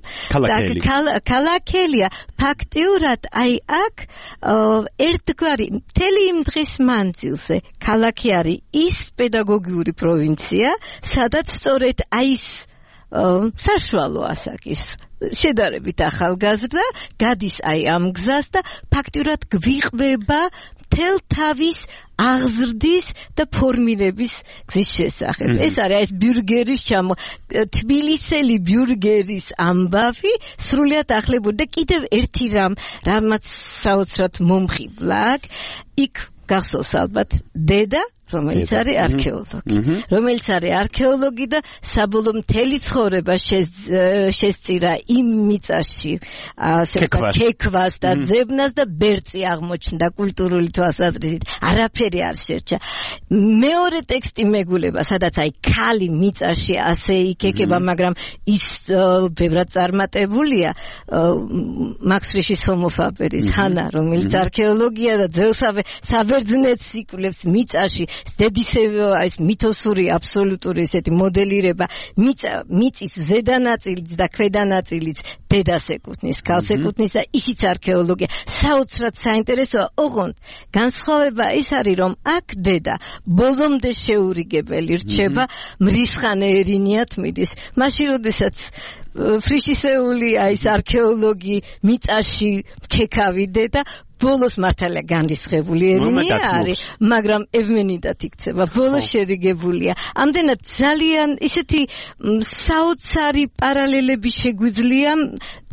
ქალაქელია ფაქტიურად აი აქ ერთგვარი მთელი იმ დღის მანძილზე ქალაქი არის ის პედაგოგიური პროვინცია სადაც სწორედ აი ის საშუალო ასაკის შედარებით ახალგაზრდა გადის აი ამ გზას და ფაქტიურად გვიყვება მთელ თავის აღზრდის და ფორმირების გზის შესახებ. ეს არის ეს ბურგერის თბილისელი ბურგერის ამბავი სრულიად ახლებური და კიდევ ერთი რამაც საოცრად მომხიბლა იქ გახსოვს ალბათ დედა რომელიც არის არქეოლოგი და საბოლოო მთელი ცხოვრება შესწირა იმ მიწაში ქექვას და ძებნას და ბერწი აღმოჩნდა კულტურული თვალსაზრისით არაფერი არ შერჩა მეორე ტექსტი მეგულება სადაც აი ქალი მიწაში ასე იქეკება მაგრამ ის ბევრად წარმატებულია მაქს ფრიშის ჰომოფაბერის ხანა რომელიც არქეოლოგია და ძველსავე საბერძნეთს იკვლევს მიწაში დედისევი ეს მითოსური აბსოლუტური ესეთი მოდელირება მიწის ზედანაწილიც და ქვედანაწილიც დედას ეკუთვნის, ქალს ეკუთვნის და ისიც არქეოლოგია საოცრად საინტერესოა ოღონდ განსხვავება ის არის რომ აქ დედა ბოლომდე შეურიგებელი რჩება მრისხანე ერინიათ მიდის მაშინ როდესაც ფრიშისეული აი ეს არქეოლოგი მიწაში ქექავი დედა ბოლოს მართალია განრისხებული ერინია არის, მაგრამ ევმენიდად იქცება. ბოლოს შერიგებულია. ამდენად ძალიან ისეთი საოცარი პარალელები შეგვიძლია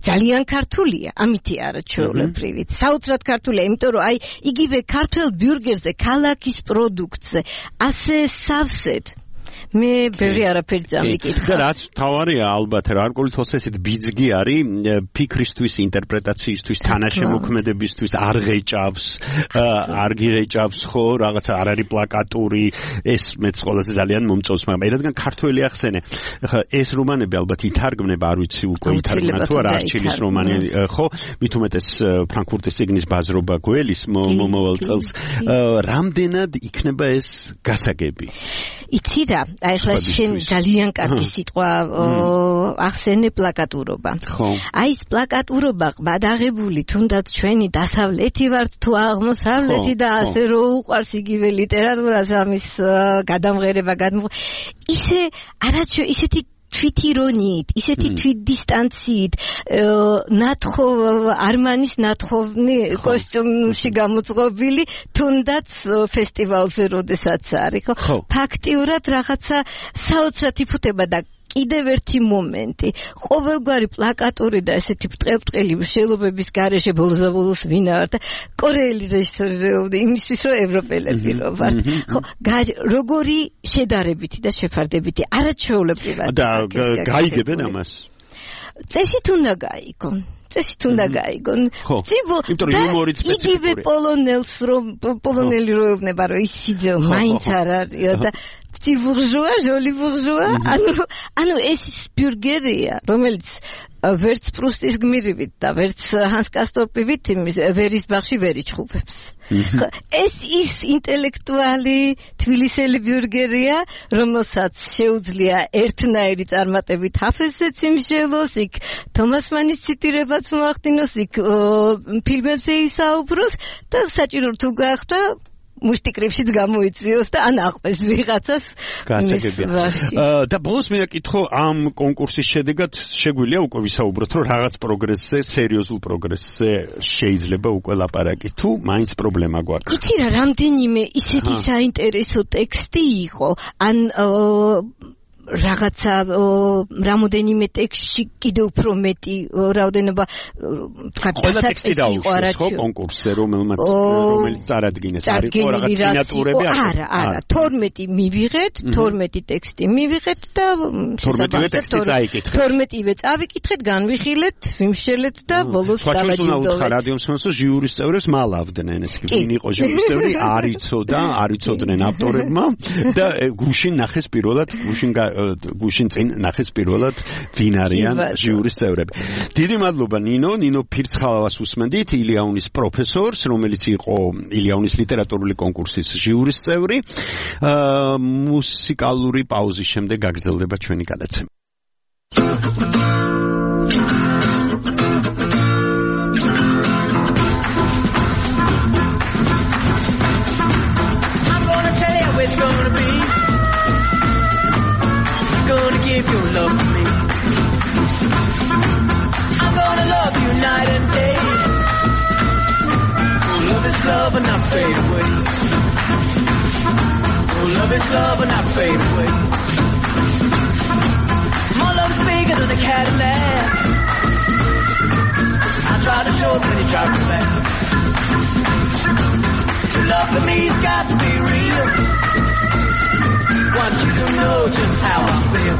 ძალიან ქართულია, ამითი არა ჩვეულებრივი. საოცრად ქართულია, იმიტომ რომ აი იგივე ქართულ ბურგერზე, ქალაქის პროდუქტზე, ასე სავსედ მე ბევრი არაფერი წამიკითხა. და რაც თავარია ალბათ რა არგოლითოს ესეთ ბიძგი არის ფიქრისთვის, ინტერპრეტაციისთვის, თანაშემოქმედებისთვის არ ღეჭავს, არ გიღეჭავს ხო, რაღაცა არ არის პლაკატური, ეს მეც ყველაზე ძალიან მომწონს, მაგრამ რადგან ქართველი ახსენე. ხა ეს რომანები ალბათ ითარგმნება, არ ვიცი უკვე ითარგმნა თუ არა არჩილის რომანი, ხო? მით უმეტეს ფრანკფურტის წიგნის ბაზრობა გველის მომავალ წელს. რამდენად იქნება ეს გასაგები? იცი რა აი ხლა შენ ძალიან კარგი სიტყვა ახსენე პლაკატურობა. აი ეს პლაკატურობა ყბადაღებული თუნდაც ჩვენი დასავლეთი ვართ თუ აღმოსავლეთი და ასე რო უყვარს იგივე ლიტერატურას ამის გადამღერება ისე არაჩვე ისეთი თვითირონიით, ისეთი თვითდისტანციით არმანის ნათხოვნი კოსტიუმში გამოწყობილი თუნდაც ფესტივალზე როდესაც არის, ხო? ფაქტიურად რაღაცა საოცრად იფუთება და კიდევ ერთი მომენტი. ყოველგვარი პლაკატური და ესეთი ბრტყელი მშელობების გარეშე ბოლოს ვინ არ და კორეელი რეჟისორი იმისთვის რომ ევროპელები რო ვართ. ხო, როგორი შედარებითი და შეფარდებითი არაჩვეულებრივად და გაიგებენ ამას. წესით უნდა გაიგონ. წესით უნდა გაიგონ. იმიტომ რომ იუმორიც სპეციფიკური. იგივე პოლონელი რო ეუბნება რომ ის სიძე მაინც არ არის და ბურჟუა, ჟოლი ბურჟუა, ანუ ეს ბურგერია, რომელიც ვერც პრუსტის გმირივით და ვერც ჰანს კასტორპივით ვერის ბაღში ვერ იჩხუბებს. ეს ის ინტელექტუალი თბილისელი ბურგერია, რომელსაც შეუძლია ერთნაირი წარმატებით ჰაფეზზეც იმშელოს, იქ თომას მანის ციტირებაც მოახდინოს, იქ ფილმებზე ისაუბროს და საჭირო თუ გახდა მუშტიკრიფშიც გამოიწვიოს და ან აყვეს ვიღაცას გასაგებია. და ბოლოს მე აკითხო ამ კონკურსის შედეგად შეგვიძლია უკვე ვისაუბროთ რომ რაღაც პროგრესზე, სერიოზულ პროგრესზე შეიძლება უკვე ლაპარაკი თუ მაინც პრობლემა გვაქვს. იცი რა რამდენიმე ისეთი საინტერესო ტექსტი იყო, ან რაღაცა რამოდენიმე ტექსტში კიდევ უფრო მეტი რაოდენობა ყველა ტექსტი დაუშვეს ხო კონკურსზე რომელიც წარადგინეს არის რაღაც სინატურები არა 12 მივიღეთ 12 ტექსტი მივიღეთ და 12-ივე წავიკითხეთ განვიხილეთ ვიმშელეთ და ბოლოს დავაჯილდოვეთ რადიო მსმენელს ჟიურის წევრებს მალავდნენ ეს კი ვინ იყო ჟიურის წევრი არიცოდნენ ავტორებმა და გუშინ ნახეს პირველად გუშინ წინ ნახეს პირველად ვინ არიან ჟიურის წევრები. დიდი მადლობა ნინო ფირცხალავას უსმენდით ილიანის პროფესორს, რომელიც იყო ილიანის ლიტერატურული კონკურსის ჟიურის წევრი. მუსიკალური პაუზის შემდეგ გაგრძელდება ჩვენი გადაცემა. It's gonna be gonna give your love to me. I'm gonna love you night and day. Oh, love is love and not fade away. Oh, love is love and not fade away. My love is bigger than a Cadillac. I try to show it when you drive me back. Your love for me's got to be real. Want you to know just how I feel.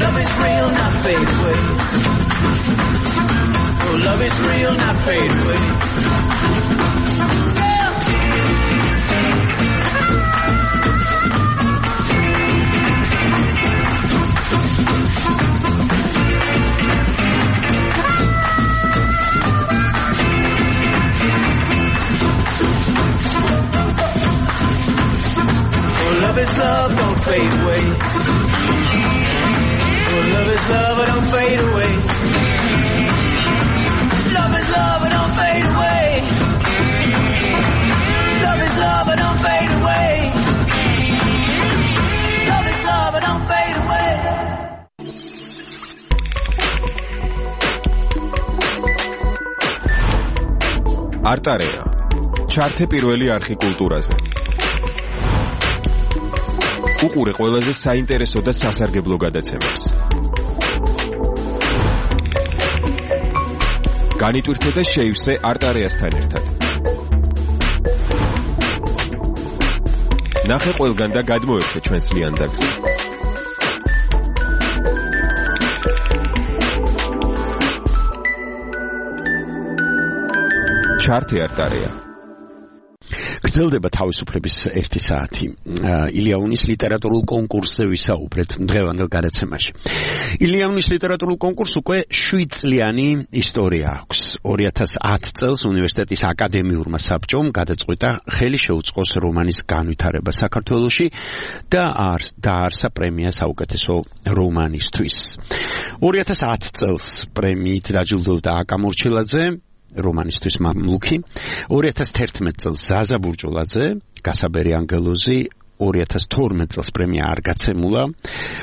Love is real, not fade away. Oh, love is real, not fade away. Love is love, don't fade away. Oh, love is love, don't fade away. Love is love, don't fade away. Love is love, don't fade away. Love is love, don't fade away. არტარეა. ჩართე პირველი არხი კულტურაზე. უყურე ყველაზე საინტერესო და სასარგებლო გადაცემებს. განიტვირთე და შეივსე არტარეასთან ერთად. ნახე ყველგან და გადმოერთე ჩვენს ლიანდაგზე. ჩართე არტარეა. გრძელდება თავისუფლების 1 საათი. ილიანის ლიტერატურულ კონკურსზე ვისაუბრეთ დღევანდელ გადაცემაში. ილიანის ლიტერატურულ კონკურსს უკვე 7 წლიანი ისტორია აქვს. 2010 წელს უნივერსიტეტის აკადემიურმა საბჭომ გადაწყვიტა ხელი შეუწყოს რომანის განვითარება საქართველოში და დაარსა პრემია საუკეთესო რომანისთვის. 2010 წელს პრემიით დაჯილდოვდა აკა მორჩილაძე რომანისტვის მამლუქი, 2011 წელს ზაზა ბურჭულაძე, გასაბერი ანგელოზი, 2012 წელს პრემია არ გაცემულა,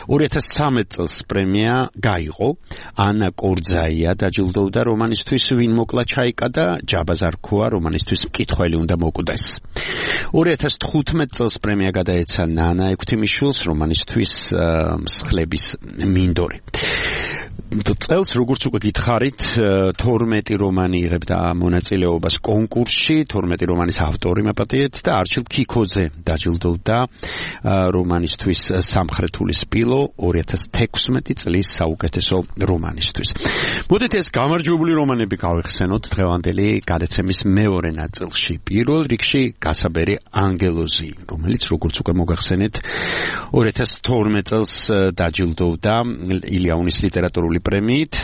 2013 წელს პრემია გაიღო, ანა კორძაია დაჯილდოვდა რომანისტვის ვინ მოკლა ჩაიკა და ჯაბაზარქოა რომანისტვის მკითხველი უნდა მოკვდეს. 2015 წელს პრემია გადაეცა ნანა ექვთიმიშვილს რომანისტვის მსხლების მინდორი. წელს როგორც უკვე გითხარით 12 რომანი იღებდა მონაწილეობას კონკურსში, 12 რომანის ავტორი მაპატიეთ და არჩილ ქიქოძე დაჯილდოვდა რომანისტვის სამხრეთული სპილო 2016 წლის საუკეთესო რომანისტვის. მოდით ეს გამარჯვებული რომანები გავიხსენოთ დღევანდელი გადაცემის მეორე ნაწილში. პირველ რიგში გასაბერი ანგელოზი, რომელიც როგორც უკვე მოგახსენეთ 2012 წელს დაჯილდოვდა ილიანის ლიტერატურული პრემიით.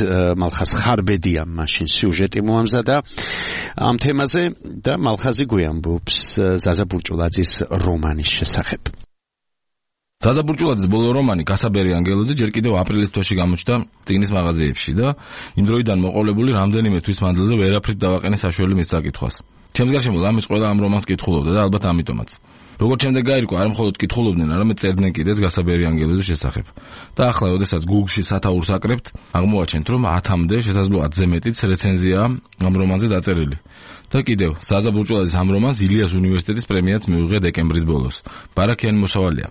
მალხაზ ხარბედიამ მაშინ სიუჟეტი მოამზადა ამ თემაზე და მალხაზი გვიამბობს ზაზა ბურჭულაძის რომანის შესახებ. ზაზა ბურჭულაძის ბოლო რომანი გასაბერი ანგელოზი ჯერ კიდევ აპრილის თვეში გამოჩნდა წიგნის მაღაზიებში და იმ დროიდან მოყოლებული რამდენიმე თვის მანძილზე ვერაფრით დავაყენე საშუალო მის საკითხვას. ჩემს გარშემო ამის ყველა ამ რომანს კითხულობდა და ალბათ ამიტომაც. როგორც შემდეგ გაირკვა, არ მხოლოდ კითხულობდნენ, არამედ წერდნენ კიდეც გასაბერი ანგელოზის შესახებ. და ახლა, როდესაც Google-ში სათაურს აკრებთ, აღმოვაჩენთ, რომ 10-მდე შესაძლოა 10-ზე მეტიც რეცენზიაა ამ რომანზე დაწერილი. და კიდევ, ზაზა ბურჭულაძის ამ რომანს ილიას უნივერსიტეტის პრემიაც მიუღია დეკემბრის ბოლოს. ბარაქიანი მოსავალია.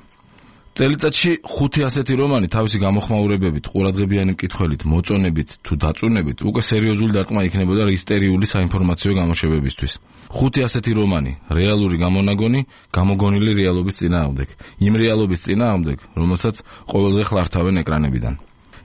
წელიწადში 5 ასეთი რომანი თავისი გამოხმაურებებით, ყურადღებიანი მკითხველით, მოწონებით თუ დაწუნებით უკვე სერიოზული დარტყმა იქნებოდა ისტერიული საინფორმაციო გამოშვებებისთვის. 5 ასეთი რომანი, რეალური გამონაგონი, გამოგონილი რეალობის წინააღმდეგ, იმ რეალობის წინააღმდეგ, რომელსაც ყოველდღე ხლართავენ ეკრანებიდან.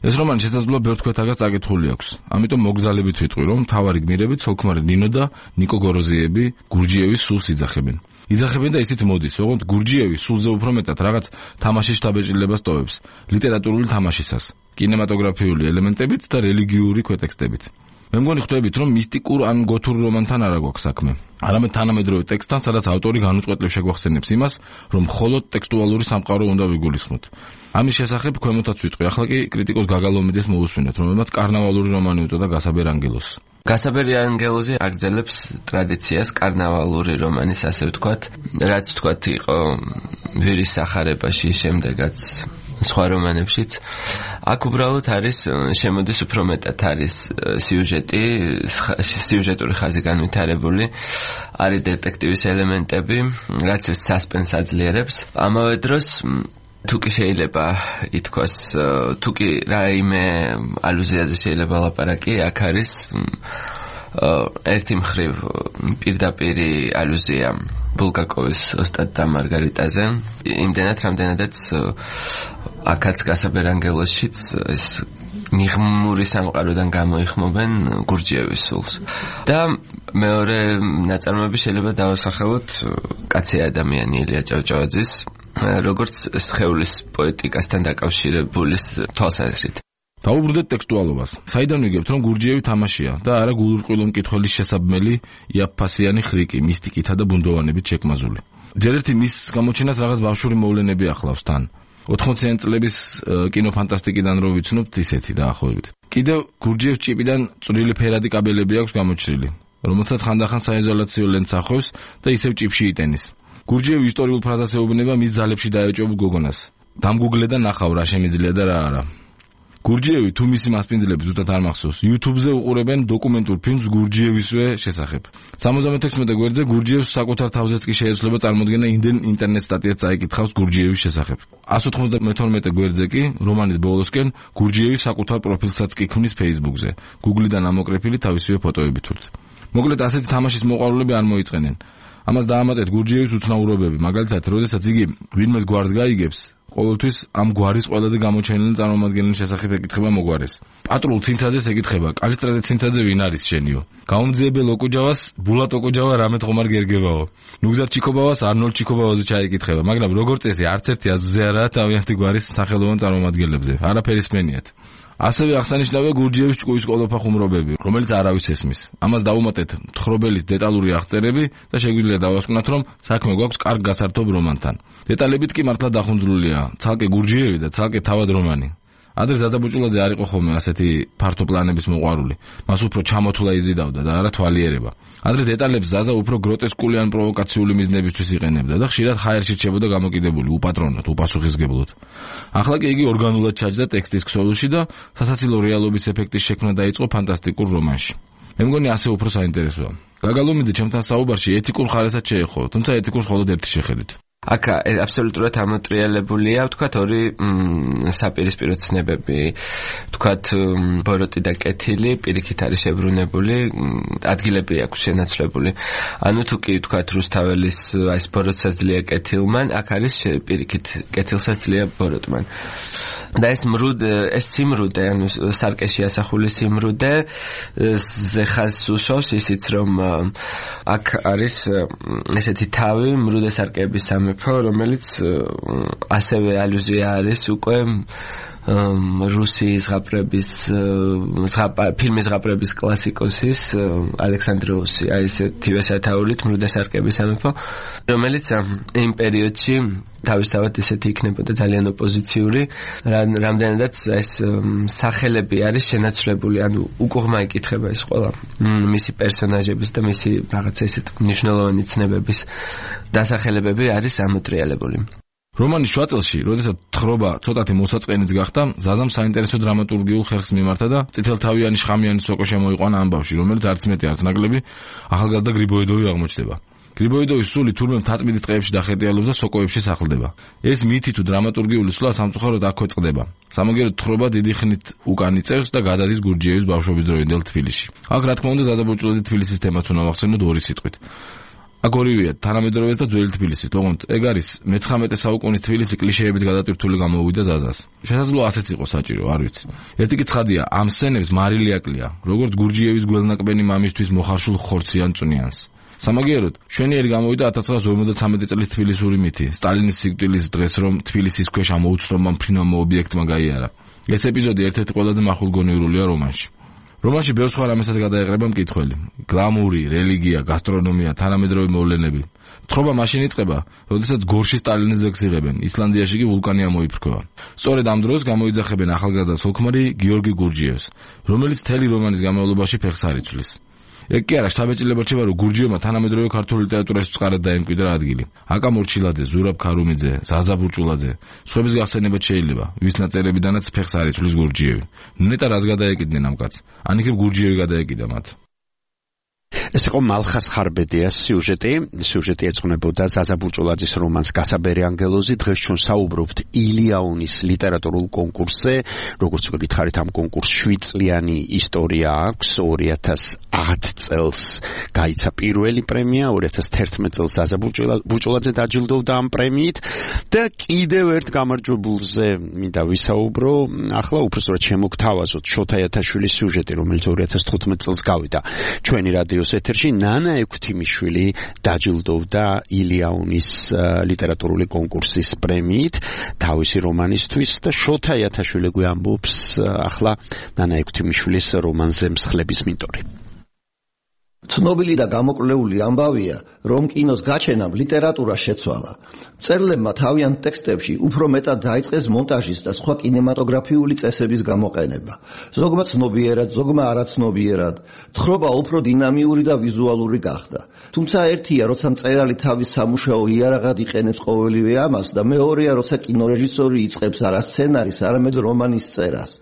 ეს რომანი შესაძლოა ბევრ თქვენთაგაც აკითხული აქვს. ამიტომ მოგზალებით ვიტყვი, რომ მთავარი გმირები ცოლ-ქმარი ნინო და ნიკო გოროზიები გურჯიევის სულს იძახებენ. იძახებენ და ისიც მოდის, ოღონდ გურჯიევი სულზე უფრო მეტად რაღაც თამაშის შთაბეჭდილებას ტოვებს, ლიტერატურული თამაშისას, კინემატოგრაფიული ელემენტებით და რელიგიური ქვეტექსტებით. მე მგონი ხვდებით, რომ მისტიკურ ან გოთურ რომანთან არ აქვს საქმე. არამედ თანამედროვე ტექსტთან, სადაც ავტორი განუწყვეტლივ შეგვახსენებს იმას, რომ მხოლოდ ტექსტუალური სამყარო უნდა ვიგულისხმოთ. ამის შესახებ ქვემოთაც ვიტყვი, ახლა კი კრიტიკოს გაგალომიძეს მოусვინოთ, რომელმაც კარნავალური რომანი უწოდა გასაბერ ანგელოს. გასაბერი ანგელოზი აგრძელებს ტრადიციას კარნავალური რომანის, ასე ვთქვათ, რაც ვთქვათ იყო ვირის სახარებაში, შემდეგაც სხვა რომანებშიც. აქ უბრალოდ არის შემოდის უფრო მეტად არის სიუჟეტური ხაზი განვითარებული, არის დეტექტივის ელემენტები, რაც ეს სასპენს აძლიერებს. ამავე დროს თუკი შეიძლება ითქვას, თუკი რაიმე ალუზიაზე შეიძლება ლაპარაკი, აქ არის ერთი მხრივ პირდაპირი ალუზია ბულგაკოვის ოსტატ და მარგარიტაზე, იმდენად რამდენადაც აქაც გასაბერ ანგელოსშიც ეს მიღმური სამყაროდან გამოიხმობენ გურჯიევის სულს. და მეორე ნაწარმოები შეიძლება დავასახელოთ კაცი ადამიანი ილია ჭავჭავაძის, როგორც სხეულის პოეტიკასთან დაკავშირებული თვალსაზრისით. დაუბრუნდეთ ტექსტუალობას. საიდან ვიგებთ, რომ გურჯიევი თამაშია და არა გულურყვილო მკითხველის შესაბმელი იაფფასიანი ხრიკი, მისტიკითა და ბუნდოვანებით შექმაზული. ჯერ ერთი მის გამოჩენას რაღაც ბავშვური მოვლენები ახლავს თან. 80-იან წლების კინოფანტასტიკიდან რო ვიცნობთ ისეთი დაახლოებით. კიდევ გურჯიევს ჭიპიდან წვრილი ფერადი კაბელები აქვს გამოჩრილი, რომელსაც ხანდახან საიზოლაციო ლენტს ახევს და ისევ ჭიფში იტენის. გურჯიევი ისტორიულ ფრაზას ეუბნება მის ძალებში დაეჭვებულ გოგონას. დამგუგლე და ნახავ რა შემიძლია და რა არა. გურჯიევი თუ მისი მასპინძლები ზუსტად არ მახსოვს, YouTube-ზე უყურებენ დოკუმენტურ ფილმს გურჯიევისვე შესახებ. 76 გვერდზე გურჯიევს საკუთარ თავზეც კი შეეძლება წარმოდგენა იმდენ ინტერნეტ სტატიას წაიკითხავს გურჯიევის შესახებ. 192 გვერდზე კი რომანის ბოლოსკენ გურჯიევი საკუთარ პროფილსაც კი ქმნის Facebook-ზე, Google-დან ამოკრეფილი თავისივე ფოტოებით ვთქვით. მოკლედ ასეთი თამაშის მოყვარულები არ მოიწენენ. ამას დაამატეთ გურჯიევის უცნაურობები, მაგალითად, როდესაც იგი ვინმეს გვარს გაიგებს, ყოველთვის ამ გვარის ყველაზე გამოჩენილი წარმომადგენლის შესახებ ეკითხება მოგვარეს. პატრულ ცინცაძეს ეკითხება, კალისტრატე ცინცაძე ვინ არის შენიო? გაუმძიებელ ოკუჯავას ბულატ ოკუჯავა რამეთ ხომარ გერგებაო. ნუგზარ ჩიკობავას არნოლ ჩიკობავაზე ჩაიკითხება, მაგრამ როგორც წესი არც ერთი აზრზე არაა თავიანთი გვარის სახელოვან წარმომადგენლებზე. არაფერის მენიათ. ასევე აღსანიშნავია გურჯიევის ჭკუის ყოლოფა ხუმრობები, რომელიც არავის ესმის. ამას დავუმატეთ მთხრობელის დეტალური აღწერები და შეგვიძლია დავასკვნათ, რომ საქმე გვაქვს კარგ გასართობ რომანთან. დეტალებით კი მართლა დახუნძრულია, ცალკე გურჯიევი და ცალკე თავად რომანი. ადრე ზადაბუჭულაძე არ იყო ხოლმე ასეთი ფართო პლანების მოყვარული. მას უფრო ჩამოთვლა იზიდავდა და არა თვალიერება. ადრე დეტალებს ზაზა უფრო გროტესკული ან პროვოკაციული მიზნებისთვის იყენებდა და ხშირად ჰაერში რჩებოდა გამოკიდებული, უპატრონოდ, უპასუხისგებლად. ახლა კი იგი ორგანულად ჩაჯდა ტექსტის ქსოვილში და სასაცილო რეალობის ეფექტის შექმნა დაიწყო ფანტასტიკურ რომანში. მე მგონი ასე უფრო საინტერესოა. გაგალომიძე ჩემთან საუბარში ეთიკურ ხარესაც შეეხო, თუმცა ეთიკურს მხოლოდ ერთი შეხედვით. აქ აბსოლუტურად ამოტრიალებულია, ვთქვათ, ორი საპირისპირო ცნებები, ვთქვათ, ბოროტი და კეთილი, პირიქით არის შებრუნებული, ადგილები აქვს შენაცვლებული. ანუ თუ კი ვთქვათ, რუსთაველის ეს ბოროტსაც ძლია კეთილმან, აქ არის პირიქით კეთილსაც ძლია ბოროტმან. და ეს სიმრუდე, ანუ სარკეში ასახული სიმრუდე, ზეხას უშავს ისიც, რომ აქ არის ესეთი თავი, მრუდე სარკეების სამეფო, რომელიც ასევე ალუზია არის უკვე რუსი ზღაპრების ფილმის ზღაპრების კლასიკოსის ალექსანდროუსი, აი ესეთივე სათაურით მრუდე სარკეების სამეფო, რომელიც იმ პერიოდში თავისთავად ესეთი იქნებოდა ძალიან ოპოზიციური, რამდენადაც ეს სახელები არის შენაცვლებული, ანუ უკუღმა იკითხება ეს ყველა მისი პერსონაჟების და მისი რაღაცა ესეთ მნიშვნელოვანი ცნებების დასახელებები არის ამოტრიალებული. რომანის შუაწელში, როდესაც თხრობა ცოტათი მოსაწყენიც გახდა, ზაზამ საინტერესო დრამატურგიულ ხერხს მიმართა და წითელთავიანი შხამიანი სოკო შემოიყვანა ამბავში, რომელიც არც მეტი არც ნაკლები ახალგაზრდა გრიბოედოვი აღმოჩნდება. გრიბოიდოვის სული თურმე მთაწმინდის ტყეებში დახეტიალობს და სოკოებში სახლდება. ეს მითი თუ დრამატურგიული სულა სამწუხაროდ აქ ქვეყდება. სამაგერო თხრობა დიდი ხნით უკან იწევს და გადადის გურჯიევის ბავშვობის დროინდელ თბილისში. აქ რა თქმა უნდა ზაზა ბურჭულაძე თბილისის თემაც უნდა ვახსენოთ ორი სიტყვით. აქ ორივეა თანამედროვეც და ძველი თბილისი. თუმცა ეგ არის მე-19 საუკუნის თბილისი კლიშეებით გადატვირთული გამოუვიდა ზაზას. შესაძლოა ასეც იყოს საჭირო, არ ვიცი. ერთი კი ცხადია, ამ სცენებს მარილი აკლია, როგორც გურჯიევის გველნაკბენი მამისთვის მოხარშულ ხორციან წვნიანს. სამაგიეროდ, შვენიერი გამოვიდა 1953 წლის თბილისური მითი, სტალინის სიკვდილის დღეს, რომ თბილისის ქვეშ ამ უცნობმა მფრინავმა ობიექტმა გაიარა. ეს ეპიზოდი ერთ-ერთი ყველაზე მახვილგონიურულია რომანში. რომანში ბევრ სხვა რამესაც გადაეყრება მკითხველი. გლამური, რელიგია, გასტრონომია, თანამედროვე მოვლენები. თხრობა მაშინ იწყება, როდესაც გორში სტალინის ძეგლს იღებენ, ისლანდიაში კი ვულკანი ამოიფრქვევა. სწორედ ამ დროს გამოიძახებენ ახალგაზრდა სულქმარი გიორგი გურჯიევს, რომელიც მთელი რომანის განმავლობაში ფეხს არ იცვლის. ეგ კი არა, შთაბეჭდილება რჩება, რომ გურჯიევმა თანამედროვე ქართული ლიტერატურაში წყარად დაემკვიდრა ადგილი. აკა მორჩილაძე, ზურაბ ქარუმიძე, ზაზა ბურჭულაძე, სხვების გახსენებაც შეიძლება, ვის ნაწერებიდანაც ფეხს არ იცვლის გურჯიევი. ნეტა რას გადაეკიდნენ ამ კაცს? ან იქნებ გურჯიევი გადაეკიდა მათ. ეს იყო მალხას ხარბედიას სიუჟეტი ეძღვნებოდა ზაზა ბურჭულაძის რომანს გასაბერი ანგელოზი. დღეს ჩვენ საუბრობთ ილიაუნის ლიტერატურულ კონკურსზე. როგორც გითხარით, ამ კონკურსს 7 წლიანი ისტორია აქვს. 2010 წელს გაიცა პირველი პრემია, 2011 წელს ზაზა ბურჭულაძე დაჯილდოვდა ამ პრემიით და კიდევ ერთ გამარჯვებულზე მინდა ვისაუბრო. ახლა უბრალოდ შემოგთავაზოთ შოთა იათაშვილის სიუჟეტი, რომელიც 2015 წელს გავიდა ჩვენი რადიოს ეთერში. ნანა ექვთიმიშვილი დაჯილდოვდა ილიაუნის ლიტერატურული კონკურსის პრემიით თავისი რომანისთვის და შოთა იათაშვილი გვამბობს ახლა ნანა ექვთიმიშვილის რომანზე მსხლების მინტორი. ცნობილი და გამოკვლეული ამბავია, რომ კინოს გაჩენამ ლიტერატურა შეცვალა. მწერლებმა თავიანთ ტექსტებში უფრო მეტად დაიწყეს მონტაჟის და სხვა კინემატოგრაფიული წესების გამოყენება. ზოგმა ცნობიერად, ზოგმა არაცნობიერად, თხრობა უფრო დინამიური და ვიზუალური გახდა. თუმცა ერთია, როცა მწერალი თავის სამუშაო იარაღად იყენებს ყოველივე ამას და მეორეა, როცა კინორეჟისორი იწყებს არა სცენარის, არამედ რომანის წერას.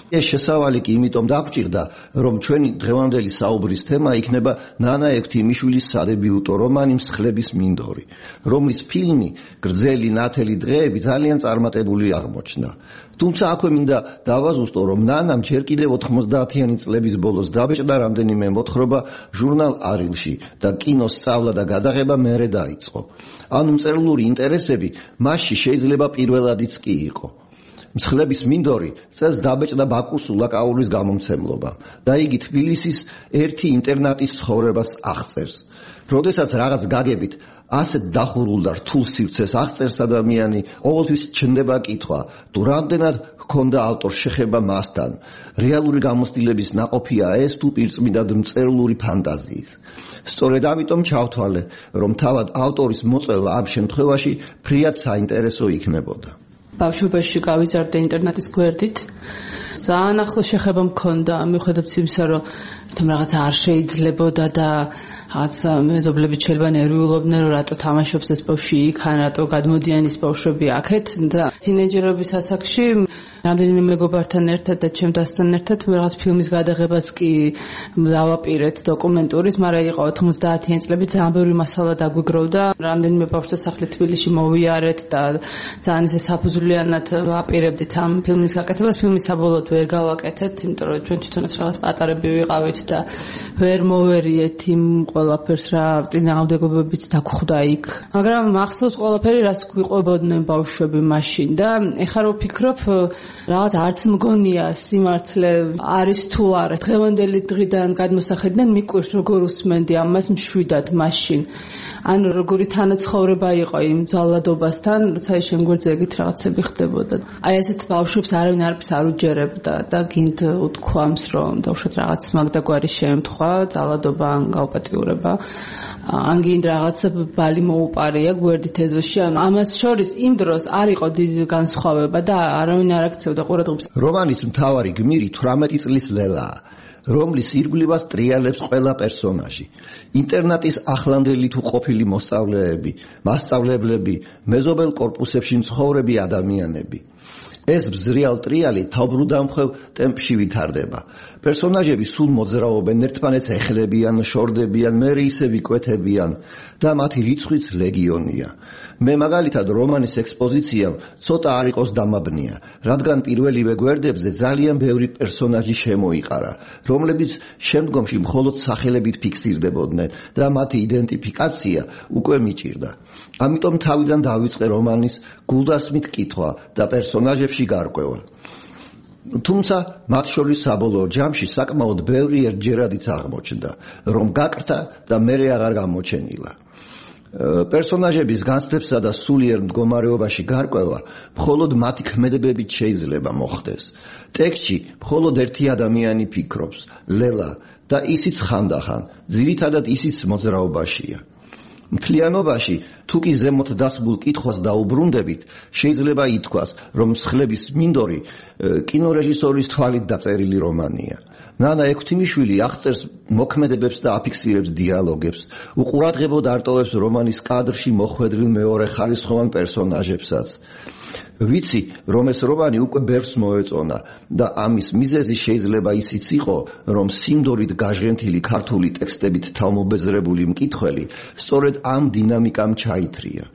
ეს შესავალი კი იმიტომ დაგვჭირდა, რომ ჩვენი დღევანდელი საუბრის თემა იქნება ნანა ექვთიმიშვილის სადებიუტო რომანი მსხლების მინდორი, რომლის ფილმი გრძელი ნათელი დღეები ძალიან წარმატებული აღმოჩნდა. თუმცა აქვე მინდა დავაზუსტო, რომ ნანამ ჯერ კიდევ 90-იანი წლების ბოლოს დაბეჭდა რამდენიმე მოთხრობა ჟურნალ არილში და კინოს სწავლა და გადაღება მერე დაიწყო. ანუ მწერლური ინტერესები მასში შეიძლება პირველადიც კი იყო. მსხლების მინდორი წელს დაბეჭდა ბაკუს სულაკაურის გამომცემლობა და იგი თბილისის ერთი ინტერნატის ცხოვრებას აღწერს. როდესაც რაღაც გაგებით ასეთ დახურულ და რთულ სივრცეს აღწერს ადამიანი, ყოველთვის ჩნდება კითხვა, თუ რამდენად ჰქონდა ავტორს შეხება მასთან. რეალური გამოცდილების ნაყოფია ეს თუ პირწმინდად მწერლური ფანტაზიის. სწორედ ამიტომ ჩავთვალე, რომ თავად ავტორის მოწვევა ამ შემთხვევაში ფრიად საინტერესო იქნებოდა. ბავშვობაში გავიზარდე ინტერნეტის გვერდით. ძალიან ახლო შეხება მქონდა, მიუხედავად იმისა, რომ რაღაც არ შეიძლებოდა და რაღაც მეზობლები შეიძლება ნერვიულობდნენ, რომ რატო თამაშობს ეს ბავშვი იქ, ან რატო გადმოდიან ის ბავშვები აქეთ და თინეიჯერობის ასაკში რამდენიმე მეგობართან ერთად და ჩემთან ერთად რაღაც ფილმის გადაღებას კი დავაპირეთ დოკუმენტურის, მაგრამ იყო 90-იანი წლები, ძალიან ბევრი მასალა დაგვიგროვდა. რამდენიმე ბავშვთა სახლი თბილისში მოვიარეთ და ძალიან ისე საფუძვლიანად ვაპირებდით ამ ფილმის გაკეთებას. ფილმი საბოლოოდ ვერ გავაკეთეთ, იმიტომ რომ ჩვენ თვითონაც რაღაც პატარები ვიყავით და ვერ მოვერიეთ იმ ყველაფერს, რა წინააღმდეგობებიც დაგხვდა იქ. მაგრამ მახსოვს ყველაფერი, რას გვიყვებოდნენ ბავშვები მაშინ და ეხლა რო ვფიქრობ, რაღაც არც მგონია სიმართლე არის თუ არა. დღევანდელი დღიდან გადმოსახედიდან მიკვირს როგორ უსმენდი ამას მშვიდად მაშინ. ანუ როგორი თანაცხოვრება იყო იმ ძალადობასთან, როცა ის შემგვერძე ეგეთ რაღაცები ხდებოდა. აი ესეთ ბავშვებს არავინ არაფერს არ უჯერებდა და გინდ უთქვამს, რომ დავუშვათ რაღაც მაგდაგვარი შემთხვევა, ძალადობა ან გაუპატიურება. ან გინდ რაღაც ბალი მოუპარია გვერდით ეზოში. ანუ ამას შორის იმ დროს არ იყო დიდი განსხვავება და არავინ არ აქცევდა ყურადღებას. რომანის მთავარი გმირი 18 წლის ლელაა, რომლის ირგვლივას ტრიალებს ყველა პერსონაჟი. ინტერნატის ახლანდელი თუ ყოფილი მოსწავლეები, მასწავლებლები, მეზობელ კორპუსებში მცხოვრები ადამიანები. ეს ბზრიალ ტრიალი თავბრუდამხვევ ტემპში ვითარდება. პერსონაჟები სულ მოძრაობენ, ერთმანეთს ეხლებიან, შორდებიან, მერე ისე ვიკვეთებიან და მათი რიცხვიც ლეგიონია. მე მაგალითად რომანის ექსპოზიციამ ცოტა არ იყოს დამაბნია, რადგან პირველივე გვერდებზე ძალიან ბევრი პერსონაჟი შემოიყარა, რომლებიც შემდგომში მხოლოდ სახელებით ფიქსირდებოდნენ და მათი იდენტიფიკაცია უკვე მიჭირდა. ამიტომ თავიდან დავიწყე რომანის გულდასმით კითხვა და პერსონაჟებში გარკვევა. თუმცა მათ შორის საბოლოო ჯამში საკმაოდ ბევრი ერთჯერადიც აღმოჩნდა, რომ გაკრთა და მერე აღარ გამოჩენილა. პერსონაჟების განცდებსა და სულიერ მდგომარეობაში გარკვევა მხოლოდ მათი ქმედებებით შეიძლება მოხდეს. ტექსტში მხოლოდ ერთი ადამიანი ფიქრობს, ლელა, და ისიც ხანდახან, ძირითადად ისიც მოძრაობაშია. მთლიანობაში, თუ კი ზემოთ დასმულ კითხვას დაუბრუნდებით, შეიძლება ითქვას, რომ მსხლების მინდორი კინორეჟისორის თვალით დაწერილი რომანია. ნანა ექვთიმიშვილი აღწერს მოქმედებებს და აფიქსირებს დიალოგებს, უყურადღებოდ არტოვებს რომანის კადრში მოხვედრილ მეორეხარისხოვან პერსონაჟებსაც. ვიცი, რომ ეს რომანი უკვე ბევრს მოეწონა და ამის მიზეზი შეიძლება ისიც იყო, რომ სიმდორით გაჟღენთილი ქართული ტექსტებით თავმობეზრებული მკითხველი სწორედ ამ დინამიკამ ჩაითრია.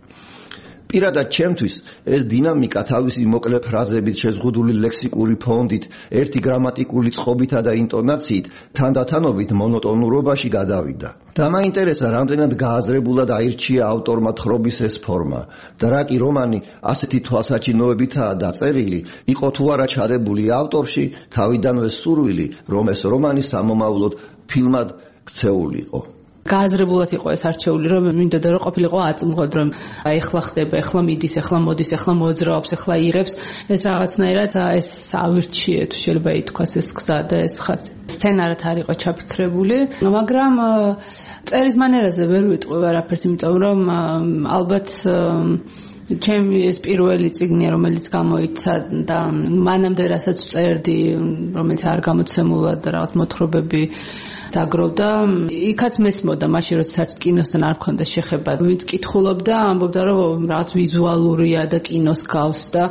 პირადად ჩემთვის ეს დინამიკა თავისი მოკლე ფრაზებით, შეზღუდული ლექსიკური ფონდით, ერთი გრამატიკული წყობითა და ინტონაციით თანდათანობით მონოტონურობაში გადავიდა. და მაინტერესა, რამდენად გააზრებულად აირჩია ავტორმა თხრობის ეს ფორმა და რა კი რომანი ასეთი თვალსაჩინოებითაა დაწერილი, იყო თუ არა ჩადებული ავტორში თავიდანვე სურვილი, რომ ეს რომანი სამომავლოდ ფილმად ქცეულიყო. გააზრებულად იყო ეს არჩეული, რომ მინდოდა რომ ყოფილიყო აწმყოდ, რომ ეხლა ხდება, ეხლა მიდის, ეხლა მოდის, ეხლა მოძრაობს, ეხლა იღებს, ეს რაღაცნაირად ეს ავირჩიე თუ შეიძლება ითქვას ეს გზა და ეს ხაზი. სცენარად არ იყო ჩაფიქრებული, მაგრამ წერის მანერაზე ვერ ვიტყვი არაფერს, იმიტომ რომ ალბათ ჩემი ეს პირველი წიგნია, რომელიც გამოიცა და მანამდე რასაც წერდი, რომელიც არ გამოცემულა და რაღაც მოთხრობები დაგროვდა, იქაც მესმოდა მაშინ, როცა საერთოდ კინოსთან არ მქონდა შეხება. ვინც კითხულობდა, ამბობდა, რომ რაღაც ვიზუალურია და კინოს გავს და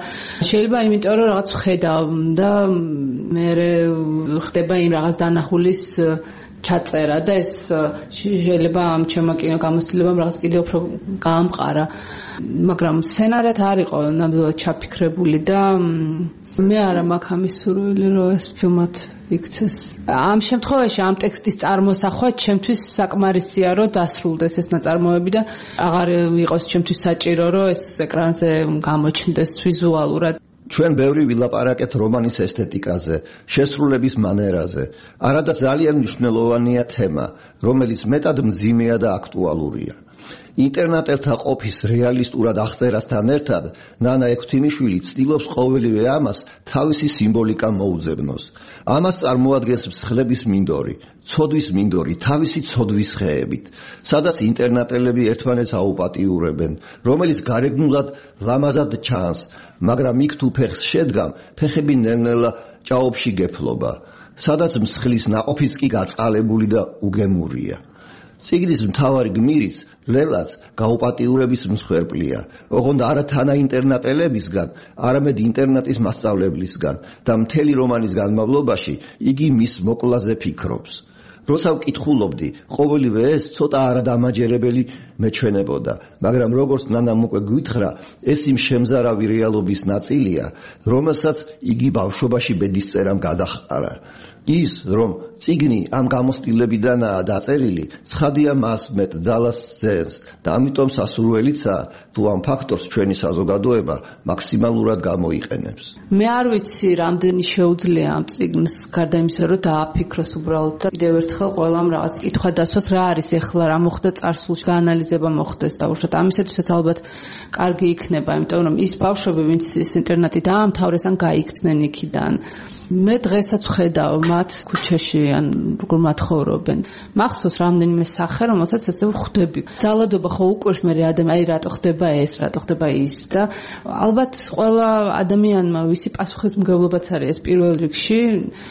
შეიძლება იმიტომ, რომ რაღაც ვხედავ და მე ხდება იმ რაღაც დანახulis ჩაწერა და ეს შეიძლება ამ ჩემო კინო გამოცდილებამ რაღაც კიდევ უფრო გაამყარა. მაგრამ სცენარად არ იყო ნამდვილად ჩაფიქრებული და მე არა მაქვს ამის სურვილი, რომ ეს ფილმად იქცეს. ამ შემთხვევაში ამ ტექსტის წარმოსახვა ჩემთვის საკმარისია, რომ დასრულდეს ეს ნაწარმოები და აღარ იყოს ჩემთვის საჭირო, რომ ეს ეკრანზე გამოჩნდეს ვიზუალურად. ჩვენ ბევრი ვილაპარაკეთ რომანის ესთეტიკაზე, შესრულების მანერაზე. არადა ძალიან მნიშვნელოვანია თემა, რომელიც მეტად მძიმეა და აქტუალურია. ინტერნეტელთა ყოფის რეალისტურად აღწერასთან ერთად, ნანა ექვთიმიშვილი ცდილობს ყოველივე ამას თავისი სიმბოლიკა მოუძებნოს. ამას წარმოადგენს მსხლების მინდორი, ცოდვის მინდორი, თავისი ცოდვის ხეებით, სადაც ინტერნეტელები ერთმანეთს აუპატიურებენ, რომელიც გარეგნულად ლამაზად ჩანს, მაგრამ იქ თუ ფეხს შედგამ, ფეხები ნელ-ნელა ჭაობში გეფლობა, სადაც მსხლის ნაყოფიც კი გაწყალებული და უგემურია. წიგნის მთავარი გმირიც, ლელაც გაუპატიურების მსხვერპლია, ოღონდ არა თანა ინტერნეტელებისგან, არამედ ინტერნეტის მასწავლებლისგან და მთელი რომანის განმავლობაში იგი მის მოკლაზე ფიქრობს. როცა ვკითხულობდი, ყოველივე ეს ცოტა არადამაჯერებელი მეჩვენებოდა, მაგრამ როგორც ნანამ უკვე გვითხრა, ეს იმ შემზარავი რეალობის ნაწილია, რომელსაც იგი ბავშვობაში ბედისწერამ გადაჰყარა. ის, რომ წიგნი ამ გამოცდილებიდანაა დაწერილი, ცხადია მას მეტ ძალას ძენს და ამიტომ სასურველიცაა, თუ ამ ფაქტორს ჩვენი საზოგადოება მაქსიმალურად გამოიყენებს. მე არ ვიცი, რამდენი შეუძლია ამ წიგნს, გარდა იმისა, რომ დააფიქროს უბრალოდ და კიდევ ერთხელ ყველამ რაღაც კითხვა დასვას, რა არის ეხლა, რა მოხდა წარსულში, გაანალიზება მოხდეს და უშუალოდ ამისათვისაც ალბათ კარგი იქნება, იმიტომ რომ ის ბავშვები, ვინც ის ინტერნეტი დაამთავრეს ან გაიქცნენ იქიდან, მე დღესაც ხედავ მათ ქუჩაში ან როგორ მათხოვრობენ. მახსოვს რამდენიმე სახე, რომელსაც ესე ვხვდები. ძალადობა ხო უკვირს მე აი რატო ხდება ეს, რატო ხდება ის და ალბათ ყველა ადამიანმა ვისი პასუხისმგებლობაც არის ეს პირველ რიგში,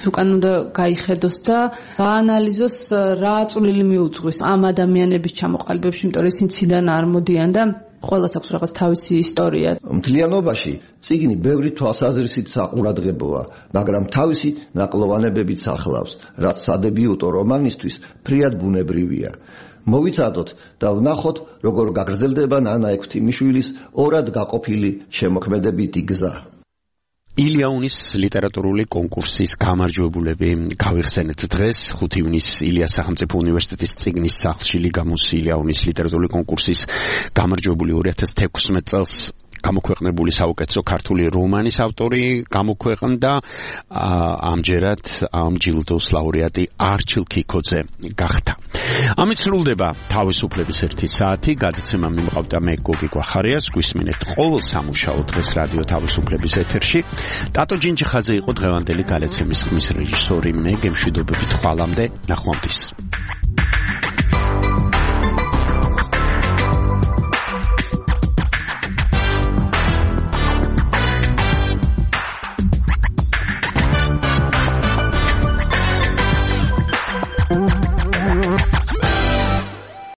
უკან უნდა გაიხედოს და გაანალიზოს რა წვლილი მიუძღვის ამ ადამიანების ჩამოყალიბებაში, იმიტომ რომ ისინი ციდან არ მოდიან და ყველას აქვს რაღაც თავისი ისტორია. მთლიანობაში წიგნი ბევრი თვალსაზრისით საყურადღებოა, მაგრამ თავისი ნაკლოვანებებით ახლავს, რაც სადებიუტო რომანისთვის ფრიად ბუნებრივია. მოვიცადოთ და ვნახოთ, როგორ გაგრძელდება ნანა ექვთიმიშვილის ორად გაყოფილი შემოქმედებითი გზა. ილიაუნის ლიტერატურული კონკურსის გამარჯვებულები გავიხსენეთ დღეს 5 ივნისს ილიას სახელმწიფო უნივერსიტეტის წიგნის სახლში ლიგამუს ილიაუნის ლიტერატურული კონკურსის გამარჯვებული 2016 წელს გამოქვეყნებული საუკეთესო ქართული რომანის ავტორი გამოქვეყნდა ამჯერად ამ ჯილდოს ლაურეატი არჩილ ქიქოძე გახდა. ამით სრულდება თავისუფლების 1 საათი. გადაცემა მიმყავდა მე გოგი გვახარიას. გვისმინეთ ყოველ სამუშაო დღეს რადიო თავისუფლების ეთერში. ტატო ჯინჯიხაძე იყო დღევანდელი გადაცემის ხმის რეჟისორი. მე გემშვიდობებით ხვალამდე ნახვამდის.